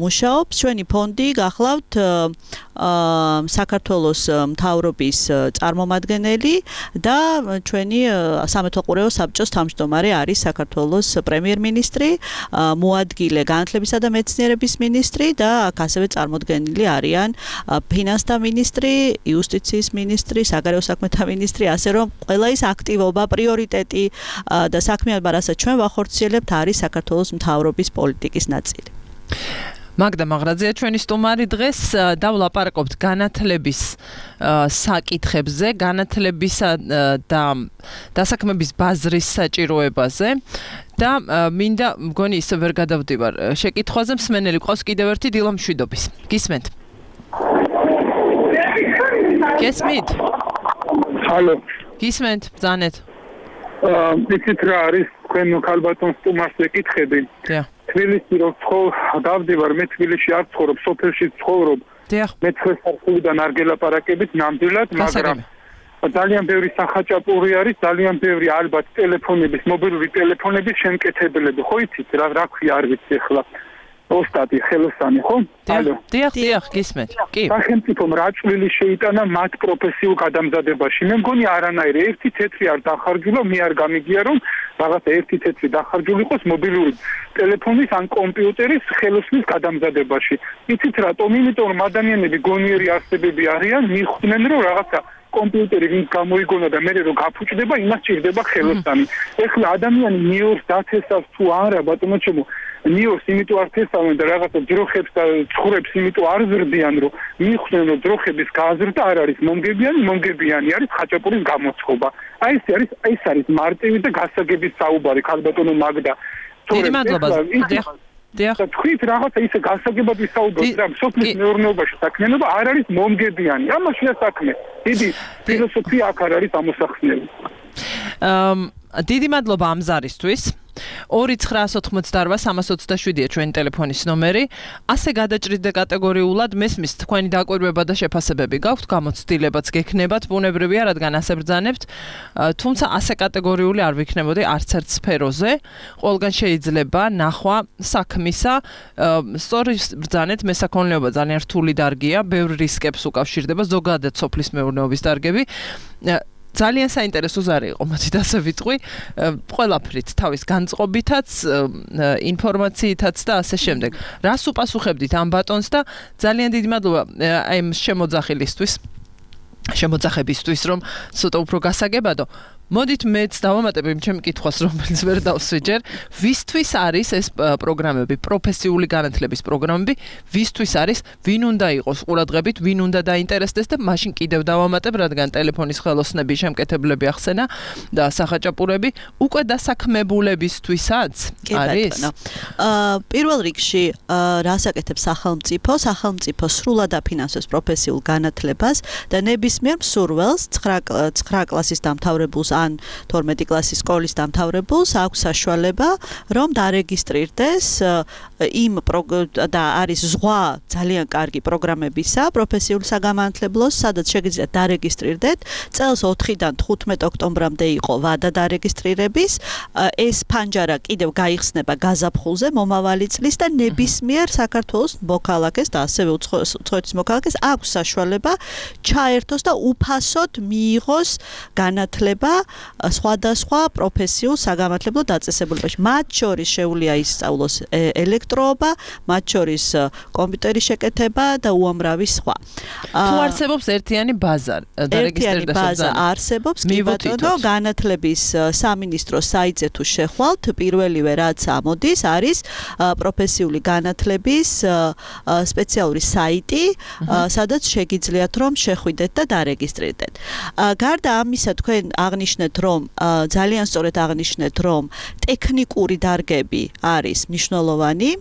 მუშაობს, ჩვენი ფონდი გახლავთ საქართველოს მთავრობის წარმომადგენელი და ჩვენი სამეთვალყურეო საბჭოს თავმჯდომარე არის საქართველოს პრემიერ-მინისტრი, მოადგილე განათლებისა და მეცნიერების მინისტრი და აქ ასევე წარმოდგენილი არიან ფინანსთა მინისტრი, იუსტიციის მინისტრი, საგარეო საქმეთა მინისტრი, ასე რომ ყველა ის აქტივობა, პრიორიტეტი და საქმიანობა, რასაც ჩვენ ვახორციელებთ, არის საქართველოს მთავრობის პოლიტიკის ნაწილი. მაგდა მაღრაძეა ჩვენი სტუმარი დღეს და ვლაპარაკობთ განათლების საკითხებზე, განათლებისა და დასაქმების ბაზრის საჭიროებაზე და მინდა მგონი ისე ვერ გადავდივარ შეკითხვაზე, მსმენელი ყავს კიდევ ერთი დილა მშვიდობის. გისმენთ? გესმით? ჰალო. გისმენთ? ბრძანეთ. იცით რა არის თქვენ ქალბატონს სტუმარს ეკითხები? დიახ. თბილისში რო დავდივარ, მე თბილისში არ ცხოვრობ, სოფელში ცხოვრობ. დიახ. მე ცხრა არ გელაპარაკებით ნამდვილად, მაგრამ ძალიან ბევრი სახაჭაპური არის, ძალიან ბევრი ალბათ ტელეფონების, მობილური ტელეფონების შემკეთებლები. ხო იცით რა რა ქვია არ ვიცი ახლა. ოსტატი ხელოსანი, ხო? ალო. დიახ, დიახ, გისმენთ. კი. სახელმწიფომ რა წვლილი შეიტანა მათ პროფესიულ გადამზადებაში? მე მგონი არანაირი, ერთი თეთრი არ დახარჯულა, მე არ გამიგია რომ რაღაცა ერთი თეთრი დახარჯული იყოს მობილური ტელეფონის ან კომპიუტერის ხელოსნის გადამზადებაში. იცით რატომ? იმიტომ რომ ადამიანები გონიერი არსებები არიან, მიხვდნენ რომ რაღაცა კომპიუტერი ვინც გამოიგონა და მე რომ გაფუჭდება, იმას ჭირდება ხელოსანი. ეხლა ადამიანი ნიორს დათესავს თუ არა, ბატონო ჩემო, ნიორს იმიტომ არ თესავენ და რაღაცა ძროხებს და ცხვრებს იმიტომ არ ზრდიან, რომ მიხვდნენ რომ ძროხების გაზრდა არ არის მომგებიანი, მომგებიანი არის ხაჭაპურის გამოცხობა. აი ეს არის ეს არის მარტივი და გასაგების საუბარი, ქალბატონო მაგდა. დიდი მადლობა. დიახ. დიახ. თქვით რაღაცა ისე გასაგებად ვისაუბროთ რა, სოფლის მეურნეობაში საქმიანობა არ არის მომგებიანი. ამაშია საქმე. დიდი ფილოსოფია აქ არ არის ამოსახსნელი. აა დიდი მადლობა ამ ზარისთვის. ორი ცხრა ოთხმოცდაოთხ სამას ოცდაშვიდია ჩვენი ტელეფონის ნომერი. ასე გადაჭრიდე კატეგორიულად მესმის თქვენი დაკვირვება და შეფასებები გაქვთ, გამოცდილებაც გექნებათ, ბუნებრივია, რადგან ასე ბრძანებთ. თუმცა ასე კატეგორიული არ ვიქნებოდი არც ერთ სფეროზე. ყველგან შეიძლება ნახვა საქმისა. სწორი ბრძანეთ, მესაქონლეობა ძალიან რთული დარგია, ბევრ რისკებს უკავშირდება, ზოგადად სოფლის მეურნეობის დარგები. ძალიან საინტერესო ზარი იყო, მოდით ასე ვიტყვი, ყველაფრით, თავის განწყობითაც, ინფორმაციითაც და ასე შემდეგ. რას უპასუხებდით ამ ბატონს და ძალიან დიდი მადლობა აი ამ შემოძახილისთვის, შემოძახებისთვის, რომ ცოტა უფრო გასაგებადო. მოდით მეც დავამატებ იმ ჩემ კითხვას, რომელიც ვერ დავსვიჯერ, ვისთვის არის ეს პროგრამები, პროფესიული განათლების პროგრამები, ვისთვის არის, ვინ უნდა იყოს ყურადღებით, ვინ უნდა დაინტერესდეს და მაშინ კიდევ დავამატებ, რადგან ტელეფონის ხელოსნები, შემკეთებლები ახსენა და სახაჭაპურები, უკვე დასაქმებულებისთვისაც არის? აა პირველ რიგში რას აკეთებს სახელმწიფო? სახელმწიფო სრულად აფინანსებს პროფესიულ განათლებას და ნებისმიერ მსურველს ცხრა კლასის დამთავრებულს ან თორმეტი კლასის სკოლის დამთავრებულს აქვს საშუალება, რომ დარეგისტრირდეს იმ და არის ზღვა ძალიან კარგი პროგრამებისა პროფესიულ საგანმანათლებლოს, სადაც შეგიძლიათ დარეგისტრირდეთ. წელს ოთხიდან თხუთმეტ ოქტომბრამდე იყო ვადა დარეგისტრირების. ეს ფანჯარა კიდევ გაიხსნება გაზაფხულზე მომავალი წლის და ნებისმიერ საქართველოს მოქალაქეს და ასევე უცხოეთის მოქალაქეს აქვს საშუალება ჩაერთოს და უფასოდ მიიღოს განათლება სხვადასხვა პროფესიულ საგანმანათლებლო დაწესებულებაში. მათ შორის შეუძლია ისწავლოს ელექტროობა, მათ შორის კომპიუტერის შეკეთება და უამრავი სხვა. თუ არსებობს ერთიანი ბაზა, ერთიანი ბაზა არსებობს, კი ბატონო, განათლების სამინისტროს საიტზე თუ შეხვალთ, პირველივე რაც ამოდის, არის პროფესიული განათლების სპეციალური საიტი, სადაც შეგიძლიათ რომ შეხვიდეთ და დარეგისტრირდეთ. გარდა ამისა, თქვენ აღნიშნეთ, რომ ძალიან სწორედ აღნიშნეთ, რომ ტექნიკური დარგები არის მნიშვნელოვანი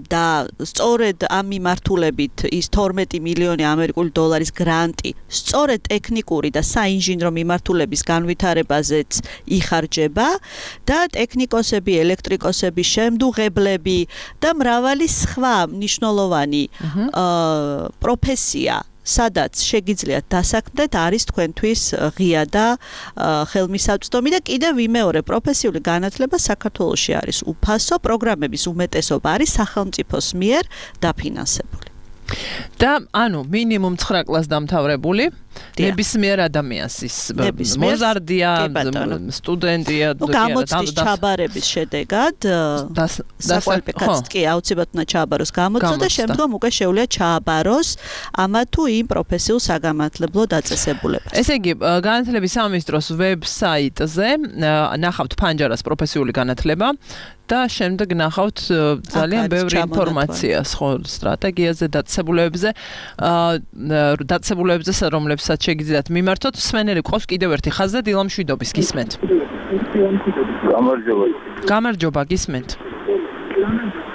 და სწორედ ამ მიმართულებით ის თორმეტი მილიონი ამერიკული დოლარის გრანტი სწორედ ტექნიკური და საინჟინრო მიმართულების განვითარებაზეც იხარჯება და ტექნიკოსები, ელექტრიკოსები, შემდუღებლები და მრავალი სხვა მნიშვნელოვანი პროფესია სადაც შეგიძლიათ დასაქმდეთ არის თქვენთვის ღია და ხელმისაწვდომი და კიდევ ვიმეორე პროფესიული განათლება საქართველოში არის უფასო, პროგრამების უმეტესობა არის სახელმწიფოს მიერ დაფინანსებული. და ანუ მინიმუმ ცხრა კლასს დამთავრებული ნებისმიერ ადამიანს ის მოზარდია, სტუდენტია, ну გამოცდის ჩაბარების შედეგად საკვალიფიკაციო კი აუცილებლად უნდა ჩააბაროს გამოცდა და შემდგომ უკვე შეუძლია ჩააბაროს ამა თუ იმ პროფესიულ საგანმანათლებლო დაწესებულებაში. ესე იგი, განათლების სამინისტროს ვებსაიტზე ნახავთ ფანჯარას პროფესიული განათლება და შემდეგ ნახავთ ძალიან ბევრი ინფორმაციას ხო სტრატეგიაზე, დაწესებულებებზე, დაწესებულებებზე, რომლებსაც შეგიძლიათ მიმართოთ. მსმენელი ყავს კიდევ ერთი ხაზზე დილა მშვიდობის, გისმენთ? გამარჯობა. გამარჯობა, გისმენთ?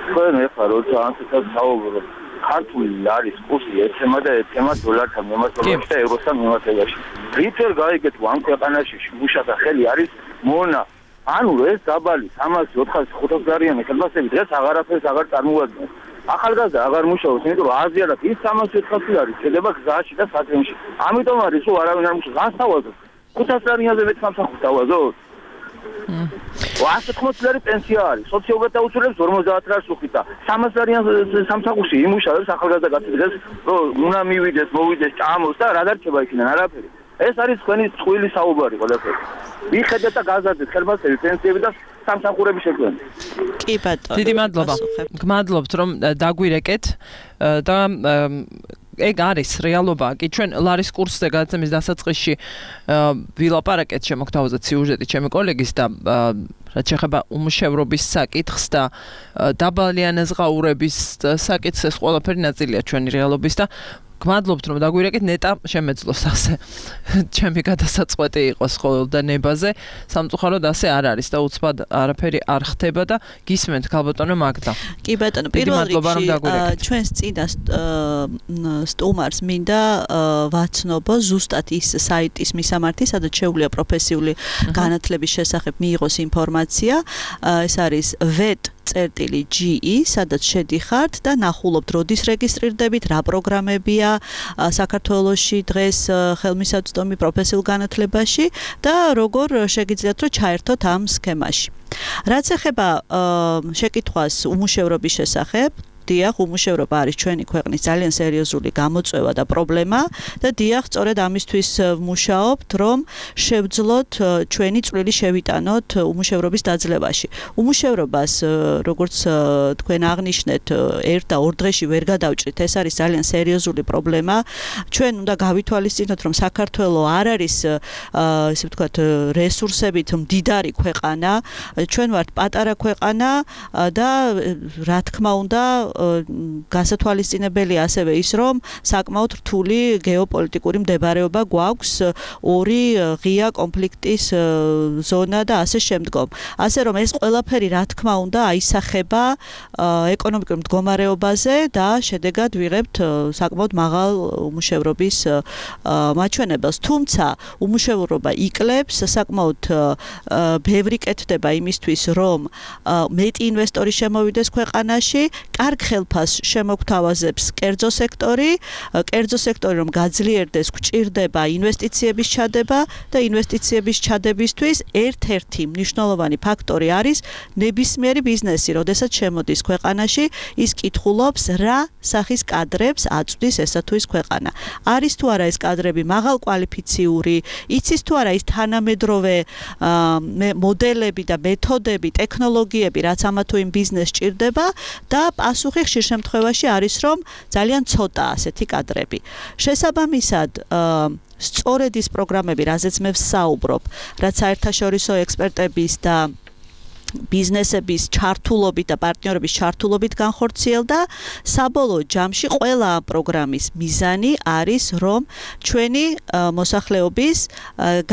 თქვენ ეხლა როცა ამასთან საუბრობთ, ქართული არის კურსი ეცემა და ეცემა დოლართან მიმართებაში და ევროსთან მიმართებაში. რითერ გაიგეთ ამ ქვეყანაში მუშათა ხელი არის მონა ანუ ეს დაბალი სამას ოთხას ხუთას გარიანი ხელფასები დღეს აღარაფერს აღარ წარმოადგენს. ახალგაზრდა აღარ მუშაობს, იმიტომ რომ აზიარად ის სამას ოთხასი არის, შედება გზაში და სატრენში. ამიტომ არის რომ არავინ არ მუშაობს. ან სავაზოთ. ხუთას გარიანზე მეც სამსახურს დავაზოთ. ასი თხმოცი ლარი პენსია არის. სოციალურად დაუცველებს ორმოცდაათ ლარს უხდით და სამას გარიანზე სამსახურში იმუშავებს ახალგაზრდა კაცი დღეს, რომ უნდა მივიდეს, მოვიდეს, ჭამოს და რა დარჩება იქიდან არაფერი. ეს არის თქვენი წყვილი საუბარი ყველაფერი. მიხედეთ და გაზარდეთ ხელფასები, პენსიები და სამსახურების შექმნა. კი ბატონო. დიდი მადლობა. გმადლობთ რომ დაგვირეკეთ და ეგ არის რეალობა. კი ჩვენ ლარის კურსზე გადაცემის დასაწყისში ვილაპარაკეთ შემოგთავაზეთ სიუჟეტი ჩემი კოლეგის და რაც შეეხება უმუშევრობის საკითხს და დაბალი ანაზღაურების საკითხს, ეს ყველაფერი ნაწილია ჩვენი რეალობის და გმადლობთ რომ დაგვირეკეთ ნეტა შემეძლოს ასე ჩემი გადასაწყვეტი იყოს ხოლმე და ნებაზე სამწუხაროდ ასე არ არის და უცბად არაფერი არ ხდება და გისმენთ ქალბატონო მაგდა. კი ბატონო, პირველ რიგში ჩვენს წინა სტუმარს მინდა ვაცნობო ზუსტად ის საიტის მისამართი, სადაც შეუძლია პროფესიული განათლების შესახებ მიიღოს ინფორმაცია. ეს არის vet წერტილი ჯი ი, სადაც შედიხართ და ნახულობთ როდის რეგისტრირდებით, რა პროგრამებია საქართველოში დღეს ხელმისაწვდომი პროფესიულ განათლებაში და როგორ შეგიძლიათ რომ ჩაერთოთ ამ სქემაში. რაც ეხება შეკითხვას უმუშევრობის შესახებ, დიახ, უმუშევრობა არის ჩვენი ქვეყნის ძალიან სერიოზული გამოწვევა და პრობლემა და დიახ, სწორედ ამისთვის ვმუშაობთ, რომ შევძლოთ ჩვენი წვლილი შევიტანოთ უმუშევრობის დაძლევაში. უმუშევრობას, როგორც თქვენ აღნიშნეთ, ერთ და ორ დღეში ვერ გადავჭრით, ეს არის ძალიან სერიოზული პრობლემა. ჩვენ უნდა გავითვალისწინოთ, რომ საქართველო არ არის, ესე ვთქვათ, რესურსებით მდიდარი ქვეყანა, ჩვენ ვართ პატარა ქვეყანა და რა თქმა უნდა, გასათვალისწინებელი ასევე ის, რომ საკმაოდ რთული გეოპოლიტიკური მდებარეობა გვაქვს, ორი ღია კონფლიქტის ზონა და ასე შემდგომ. ასე რომ ეს ყველაფერი რა თქმა უნდა აისახება ეკონომიკურ მდგომარეობაზე და შედეგად ვიღებთ საკმაოდ მაღალ უმუშევრობის მაჩვენებელს. თუმცა უმუშევრობა იკლებს, საკმაოდ ბევრი კეთდება იმისთვის, რომ მეტი ინვესტორი შემოვიდეს ქვეყანაში, კარგ ხელფასს შემოგთავაზებს კერძო სექტორი, კერძო სექტორი რომ გაძლიერდეს, გვჭირდება ინვესტიციების ჩადება და ინვესტიციების ჩადებისთვის ერთ-ერთი მნიშვნელოვანი ფაქტორი არის ნებისმიერი ბიზნესი, როდესაც შემოდის ქვეყანაში, ის კითხულობს რა სახის კადრებს აწვდის ესა თუ ის ქვეყანა. არის თუ არა ეს კადრები მაღალკვალიფიციური, იცის თუ არა ის თანამედროვე მოდელები და მეთოდები, ტექნოლოგიები, რაც ამა თუ იმ ბიზნესს ჭირდება და პასუხი ხშირ შემთხვევაში არის, რომ ძალიან ცოტაა ასეთი კადრები. შესაბამისად, სწორედ ის პროგრამები, რაზეც მე ვსაუბრობ, რაც საერთაშორისო ექსპერტების და ბიზნესების ჩართულობით და პარტნიორების ჩართულობით განხორციელდა, საბოლოო ჯამში ყველა პროგრამის მიზანი არის, რომ ჩვენი მოსახლეობის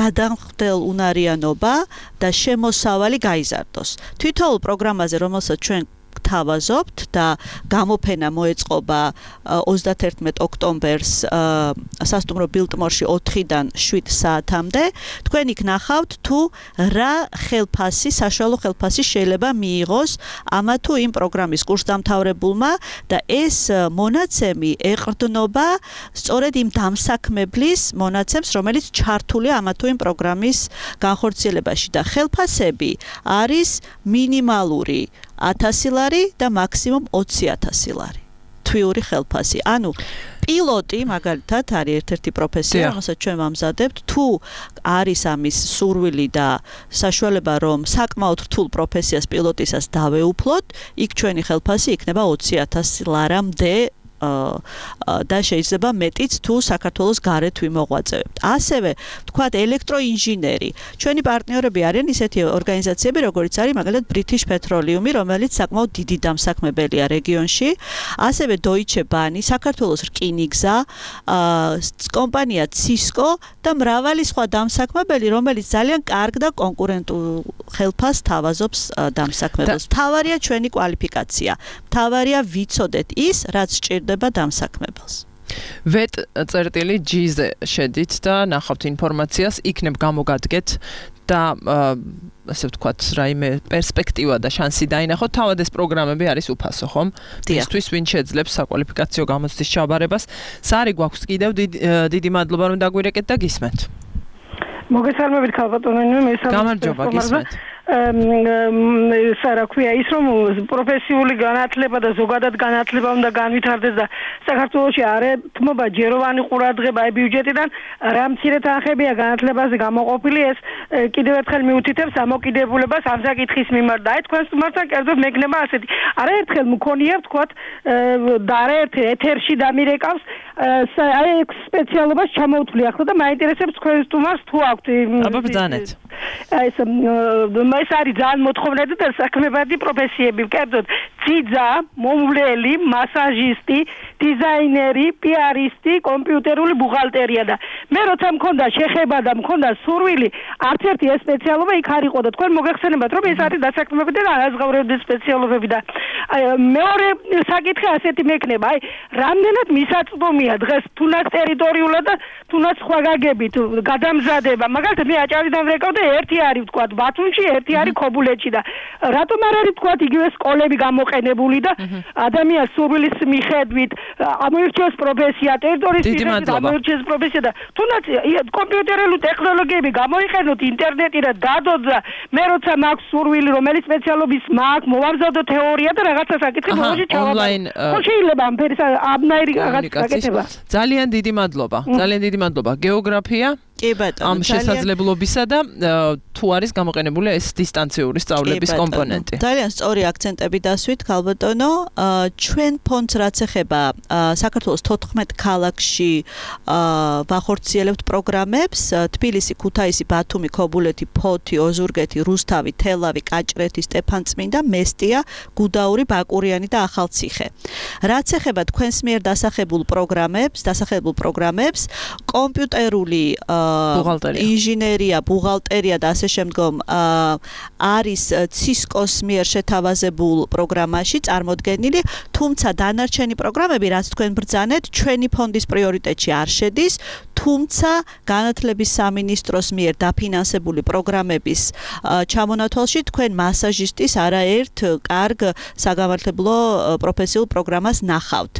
გადამხდელუნარიანობა და შემოსავალი გაიზარდოს. თითოეულ პროგრამაზე, რომელსაც ჩვენ თავაზობთ და გამოფენა მოეწყობა ოცდათერთმეტ ოქტომბერს სასტუმრო ბილტმორში ოთხიდან შვიდ საათამდე. თქვენ იქ ნახავთ თუ რა ხელფასი, საშუალო ხელფასი შეიძლება მიიღოს ამა თუ იმ პროგრამის კურსდამთავრებულმა და ეს მონაცემი ეყრდნობა სწორედ იმ დამსაქმებლის მონაცემს, რომელიც ჩართულია ამა თუ იმ პროგრამის განხორციელებაში და ხელფასები არის მინიმალური ათასი ლარი და მაქსიმუმ ოცი ათასი ლარი. თვიური ხელფასი. ანუ პილოტი მაგალითად არის ერთ-ერთი პროფესია, რომელსაც ჩვენ ვამზადებთ, თუ არის ამის სურვილი და საშუალება, რომ საკმაოდ რთულ პროფესიას პილოტისას დავეუფლოთ, იქ ჩვენი ხელფასი იქნება ოცი ათასი ლარამდე და შეიძლება მეტიც თუ საქართველოს გარეთ ვიმოღვაწევებთ. ასევე ვთქვათ ელექტროინჟინერი. ჩვენი პარტნიორები არიან ისეთი ორგანიზაციები, როგორიც არის მაგალითად British Petroleum, რომელიც საკმაოდ დიდი დამსაქმებელია რეგიონში. ასევე Deutsche Bahn, საქართველოს რკინიგზა, კომპანია Cisco და მრავალი სხვა დამსაქმებელი, რომელიც ძალიან კარგ და კონკურენტულ ხელფასს თავაზობს დამსაქმებელს. მთავარია ჩვენი კვალიფიკაცია. მთავარია ვიცოდეთ ის, რაც სჭირდება დამსაქმებელს. ვეტ წერტილი ჯი-ზე შედით და ნახავთ ინფორმაციას, იქნებ გამოგადგეთ და ასე ვთქვათ, რაიმე პერსპექტივა და შანსი დაინახოთ. თავად ეს პროგრამები არის უფასო, ხომ? ისთვის ვინ შეძლებს საკვალიფიკაციო გამოცდის ჩაბარებას. სარი გვაქვს კიდევ დიდი მადლობა რომ დაგვირეკეთ და გისმენთ. მოგესალმებით ქალბატონო, მე გამარჯობა, გისმენთ. სარა ქვია ის რომ პროფესიული განათლება და ზოგადად განათლება უნდა განვითარდეს და საქართველოში არ ეთმობა ჯეროვანი ყურადღება აი ბიუჯეტიდან რა მცირე თანხებია განათლებაზე გამოყოფილი ეს კიდევ ერთხელ მიუთითებს ამოკიდებულებას ამ საკითხის მიმართ და აი თქვენს მიმართთან კერძოდ მეკნება ასეთი არაერთხელ მქონია ვთქვათ და არაერთხელ ეთერში დამირეკავს აი სპეციალობას ჩამოვთვლი ახლა და მაინტერესებს თქვენს სტუმარს თუ აქვთ აბა ბრძანეთ აი ეს ეს არის ძალიან მოთხოვნადი და საქმებადი პროფესიები, კერძოდ ძიძა, მომვლელი, მასაჟისტი, დიზაინერი, პიარისტი, კომპიუტერული ბუღალტერია და მე როცა მქონდა შეხება და მქონდა სურვილი, არც ერთი ეს სპეციალობა იქ არ იყო და თქვენ მოგეხსენებათ, რომ ეს არის დასაქმებადი და არაზღაურებადი სპეციალობები და მეორე საკითხი ასეთი მექნება, აი, რამდენად მისაწვდომია დღეს თუნდაც ტერიტორიულად და თუნდაც სხვა გაგებით გადამზადება, მაგალითად მე აჭარიდან ვrეკავ და ერთი არის ვთქვათ ბათუმში, ერთი არის ქობულეთში და რატომ არ არის ვთქვათ იგივე სკოლები გამოყენებული გამოყენებული და ადამიანის სურვილის მიხედვით ამოირჩევს პროფესია, ტერიტორიის მიხედვით ამოირჩევს პროფესია და თუნდაც კომპიუტერული ტექნოლოგიები გამოიყენოთ ინტერნეტი და დადოთ და მე როცა მაქვს სურვილი რომელი სპეციალობის მაქვს, მოვამზადო თეორია და რაღაცა საკითხი ბოლოში ჩავაბარო. ხო შეიძლება ამ ფერის აბნაირი რაღაც საკითხება. ძალიან დიდი მადლობა. ძალიან დიდი მადლობა. გეოგრაფია კი ბატონო, ამ შესაძლებლობისა და თუ არის გამოყენებული ეს დისტანციური სწავლების კომპონენტი. ძალიან სწორი აქცენტები დასვით, ქალბატონო. ჩვენ ფონდს რაც ეხება საქართველოს თოთხმეტ ქალაქში ვახორციელებთ პროგრამებს: თბილისი, ქუთაისი, ბათუმი, ქობულეთი, ფოთი, ოზურგეთი, რუსთავი, თელავი, კაჭრეთი, სტეფანწმინდა, მესტია, გუდაური, ბაკურიანი და ახალციხე. რაც ეხება თქვენს მიერ დასახებულ პროგრამებს, დასახებულ პროგრამებს, კომპიუტერული ინჟინერია, ბუღალტერია და ასე შემდგომ არის ცისკოს მიერ შეთავაზებულ პროგრამაში წარმოდგენილი, თუმცა დანარჩენი პროგრამები, რაც თქვენ ბრძანეთ, ჩვენი ფონდის პრიორიტეტში არ შედის, თუმცა განათლების სამინისტროს მიერ დაფინანსებული პროგრამების ჩამონათვალში თქვენ მასაჟისტის არაერთ კარგ საგამართლებლო პროფესიულ პროგრამას ნახავთ.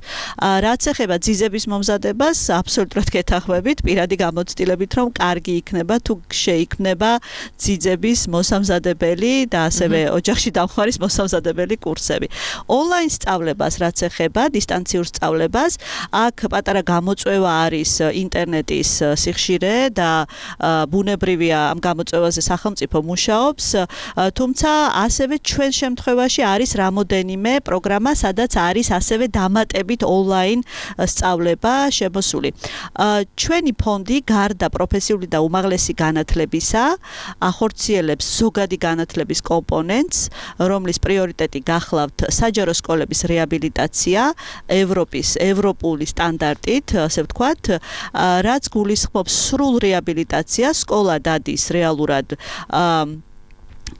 რაც ეხება ძიძების მომზადებას, აბსოლუტურად გეთანხმებით, პირადი გამოცდილებით, რომ კარგი იქნება თუ შეიქმნება ძიძების მოსამზადებელი და ასევე ოჯახში დამხმარის მოსამზადებელი კურსები. ონლაინ სწავლებას რაც ეხება, დისტანციურ სწავლებას, აქ პატარა გამოწვევა არის ინტერნეტის სიხშირე და ბუნებრივია ამ გამოწვევაზე სახელმწიფო მუშაობს, თუმცა ასევე ჩვენ შემთხვევაში არის რამოდენიმე პროგრამა, სადაც არის ასევე დამატებით ონლაინ სწავლება შემოსული. ჩვენი ფონდი გარდა პროფესიული და უმაღლესი განათლებისა ახორციელებს ზოგადი განათლების კომპონენტს, რომლის პრიორიტეტი გახლავთ საჯარო სკოლების რეაბილიტაცია ევროპის ევროპული სტანდარტით, ასე ვთქვათ, რაც გულისხმობს სრულ რეაბილიტაციას, სკოლა დადის რეალურად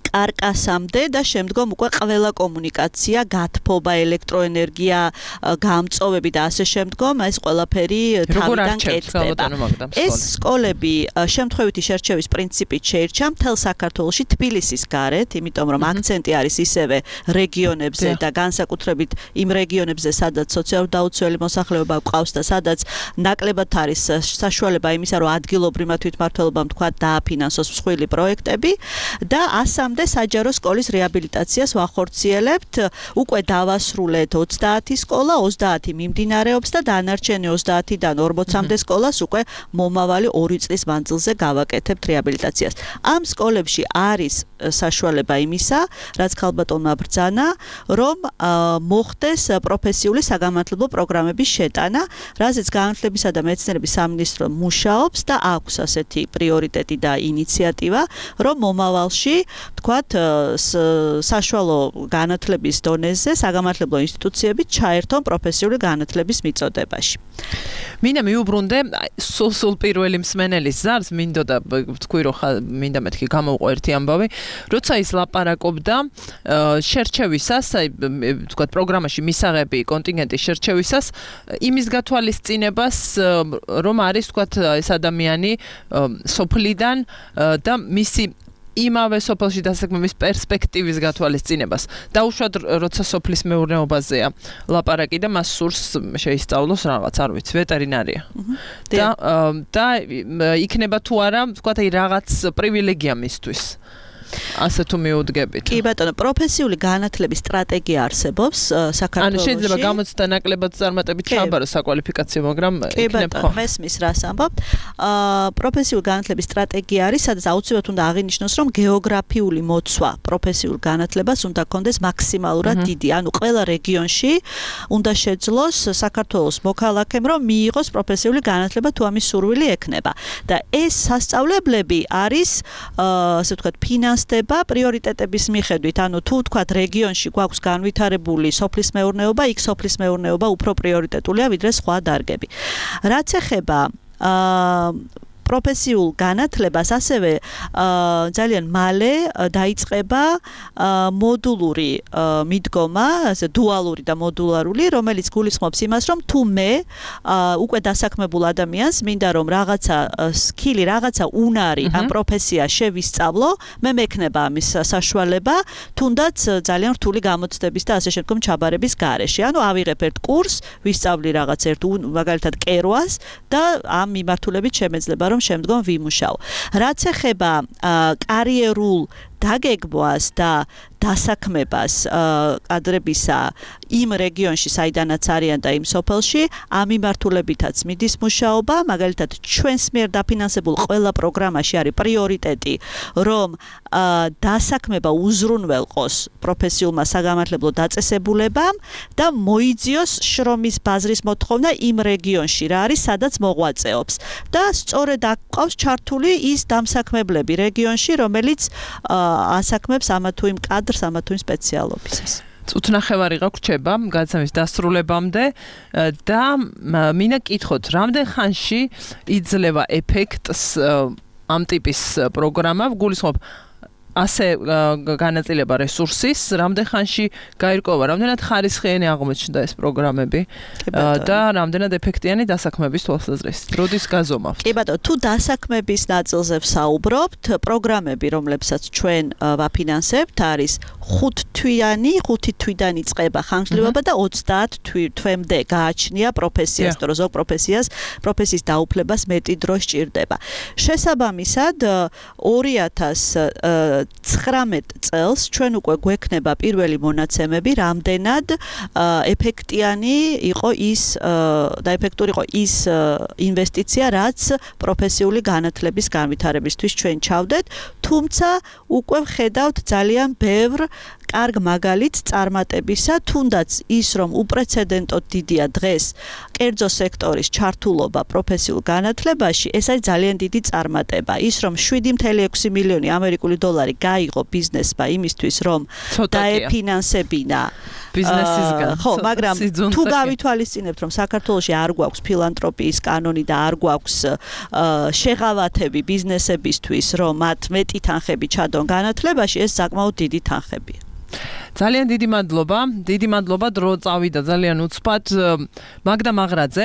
კარკასამდე და შემდგომ უკვე ყველა კომუნიკაცია, გათბობა, ელექტროენერგია, გამწოვები და ასე შემდგომ ეს ყველაფერი თავიდან კეთდება. ეს სკოლები შემთხვევითი შერჩევის პრინციპით შეირჩა მთელ საქართველოში თბილისის გარეთ, იმიტომ რომ აქცენტი არის ისევე რეგიონებზე და განსაკუთრებით იმ რეგიონებზე, სადაც სოციალურად დაუცველი მოსახლეობა გვყავს და სადაც ნაკლებად არის საშუალება იმისა, რომ ადგილობრივმა თვითმმართველობამ თქვა დააფინანსოს მსხვილი პროექტები და ასამდე საჯარო სკოლის რეაბილიტაციას ვახორციელებთ. უკვე დავასრულეთ ოცდაათი სკოლა, ოცდაათი მიმდინარეობს და დანარჩენი ოცდაათიდან ორმოცამდე სკოლას უკვე მომავალი ორი წლის მანძილზე გავაკეთებთ რეაბილიტაციას. ამ სკოლებში არის საშუალება იმისა, რაც ქალბატონმა ბრძანა, რომ მოხდეს პროფესიული საგამართლებლო პროგრამების შეტანა, რაზეც განათლებისა და მეცნიერების სამინისტრო მუშაობს და აქვს ასეთი პრიორიტეტი და ინიციატივა, რომ მომავალში თქვათ საშუალო განათლების დონეზე საგამართლებლო ინსტიტუციები ჩაერთონ პროფესიული განათლების მიწოდებაში. მინდა მიუბრუნდე სულ პირველი მსმენელის ზარს, მინდოდა თქვი რომ მინდა მეთქი გამოვყო ერთი ამბავი, როცა ის ლაპარაკობდა შერჩევისას, აი თქვათ პროგრამაში მისაღები კონტინგენტის შერჩევისას, იმის გათვალისწინებას, რომ არის თქვათ ეს ადამიანი სოფლიდან და მისი იმავე სოფელში დასაქმების პერსპექტივის გათვალისწინებას. დაუშვათ, როცა სოფლის მეურნეობაზეა ლაპარაკი და მას სურს შეისწავლოს რაღაც, არ ვიცი, ვეტერინარია. და და იქნება თუ არა, ვთქვათ, აი რაღაც პრივილეგია მისთვის. ასე თუ მიუდგებით. კი ბატონო, პროფესიული განათლების სტრატეგია არსებობს საქართველოში. ანუ შეიძლება გამოცდა ნაკლებად წარმატებით ჩააბაროს საკვალიფიკაციო, მაგრამ იქნებ ხო. მესმის რას ამბობთ. აა პროფესიული განათლების სტრატეგია არის, სადაც აუცილებლად უნდა აღინიშნოს, რომ გეოგრაფიული მოცვა პროფესიულ განათლებას უნდა კონდეს მაქსიმალურად დიდი. ანუ ყველა რეგიონში უნდა შეძლოს საქართველოს მოქალაქემ, რომ მიიღოს პროფესიული განათლება თუ ამის სურვილი ექნება. და ეს სასწავლებლები არის აა ასე ვთქვათ, ფინანსდება პრიორიტეტების მიხედვით. ანუ თუ ვთქვათ, რეგიონში გვაქვს განვითარებული სოფლის მეურნეობა, იქ სოფლის მეურნეობა უფრო პრიორიტეტულია ვიდრე სხვა დარგები. რაც ეხება აა პროფესიულ განათლებას ასევე ძალიან მალე დაიწყება მოდულური მიდგომა, ასე დუალური და მოდულარული, რომელიც გულისხმობს იმას, რომ თუ მე უკვე დასაქმებულ ადამიანს მინდა რომ რაღაცა სკილი, რაღაცა უნარი ამ პროფესია შევისწავლო, მე მექნება ამის საშუალება, თუნდაც ძალიან რთული გამოცდების და ასე შემდგომ ჩაბარების გარეშე. ანუ ავიღებ ერთ კურსს, ვისწავლი რაღაც ერთ მაგალითად კერვას და ამ მიმართულებით შემეძლება რომ შემდგომ ვიმუშაო. რაც ეხება კარიერულ დაგეგმვას და დასაქმებას კადრებისა იმ რეგიონში, საიდანაც არიან და იმ სოფელში, ამ მიმართულებითაც მიდის მუშაობა, მაგალითად ჩვენს მიერ დაფინანსებულ ყველა პროგრამაში არის პრიორიტეტი, რომ დასაქმება უზრუნველყოს პროფესიულმა საგამართლებლო დაწესებულებამ და მოიძიოს შრომის ბაზრის მოთხოვნა იმ რეგიონში, რა არის, სადაც მოღვაწეობს. და სწორედ აქ ყავს ჩართული ის დამსაქმებლები რეგიონში, რომელიც ასაქმებს ამა თუ იმ კადრს, ამა თუ იმ სპეციალობისას. წუთნახევარი გაგვრჩება გადაცემის დასრულებამდე და მინდა კითხოთ, რამდენ ხანში იძლევა ეფექტს ამ ტიპის პროგრამა, გულისხმობ ასე განაწილება რესურსის, რამდენ ხანში გაირკვევა, რამდენად ხარისხიანი აღმოჩნდა ეს პროგრამები და რამდენად ეფექტიანი დასაქმების თვალსაზრისით. როდის გაზომავთ? კი ბატონო, თუ დასაქმების ნაწილზე ვსაუბრობთ, პროგრამები, რომლებსაც ჩვენ ვაფინანსებთ, არის ხუთთვიანი, ხუთი თვიდან იწყება ხანგრძლივობა და ოცდაათ თვემდე გააჩნია პროფესიას, თუ ზოგ პროფესიას, პროფესიის დაუფლებას მეტი დრო სჭირდება. შესაბამისად, ორი ათას ცხრამეტ წელს ჩვენ უკვე გვექნება პირველი მონაცემები, რამდენად ეფექტიანი იყო ის და ეფექტური იყო ის ინვესტიცია, რაც პროფესიული განათლების განვითარებისთვის ჩვენ ჩავდეთ, თუმცა უკვე ვხედავთ ძალიან ბევრ კარგ მაგალითს წარმატებისა, თუნდაც ის, რომ უპრეცედენტოდ დიდია დღეს კერძო სექტორის ჩართულობა პროფესიულ განათლებაში, ეს არის ძალიან დიდი წარმატება. ის, რომ შვიდი წუთი ექვსი მილიონი ამერიკული დოლარი გაიღო ბიზნესმა იმისთვის, რომ დაეფინანსებინა ბიზნესისგან. ხო, მაგრამ თუ გავითვალისწინებთ, რომ საქართველოში არ გვაქვს ფილანთროპიის კანონი და არ გვაქვს შეღავათები ბიზნესებისთვის, რომ მათ მეტი თანხები ჩადონ განათლებაში, ეს საკმაოდ დიდი თანხებია. ძალიან დიდი მადლობა, დიდი მადლობა, დრო წავიდა ძალიან უცბად. მაგდა მაღრაძე,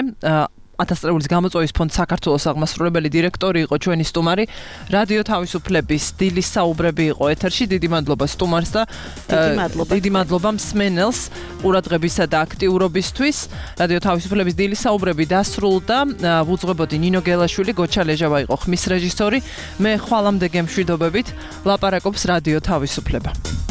ათას წლების გამოწვევის ფონდ საქართველოს აღმასრულებელი დირექტორი იყო ჩვენი სტუმარი. რადიო თავისუფლების დილის საუბრები იყო ეთერში. დიდი მადლობა სტუმარს და დიდი მადლობა მსმენელს ყურადღებისა და აქტიურობისთვის. რადიო თავისუფლების დილის საუბრები დასრულდა. ვუძღვებოდი ნინო გელაშვილი, გოჩა ლეჟავა იყო ხმის რეჟისორი. მე ხვალამდე გემშვიდობებით ლაპარაკობს რადიო თავისუფლება.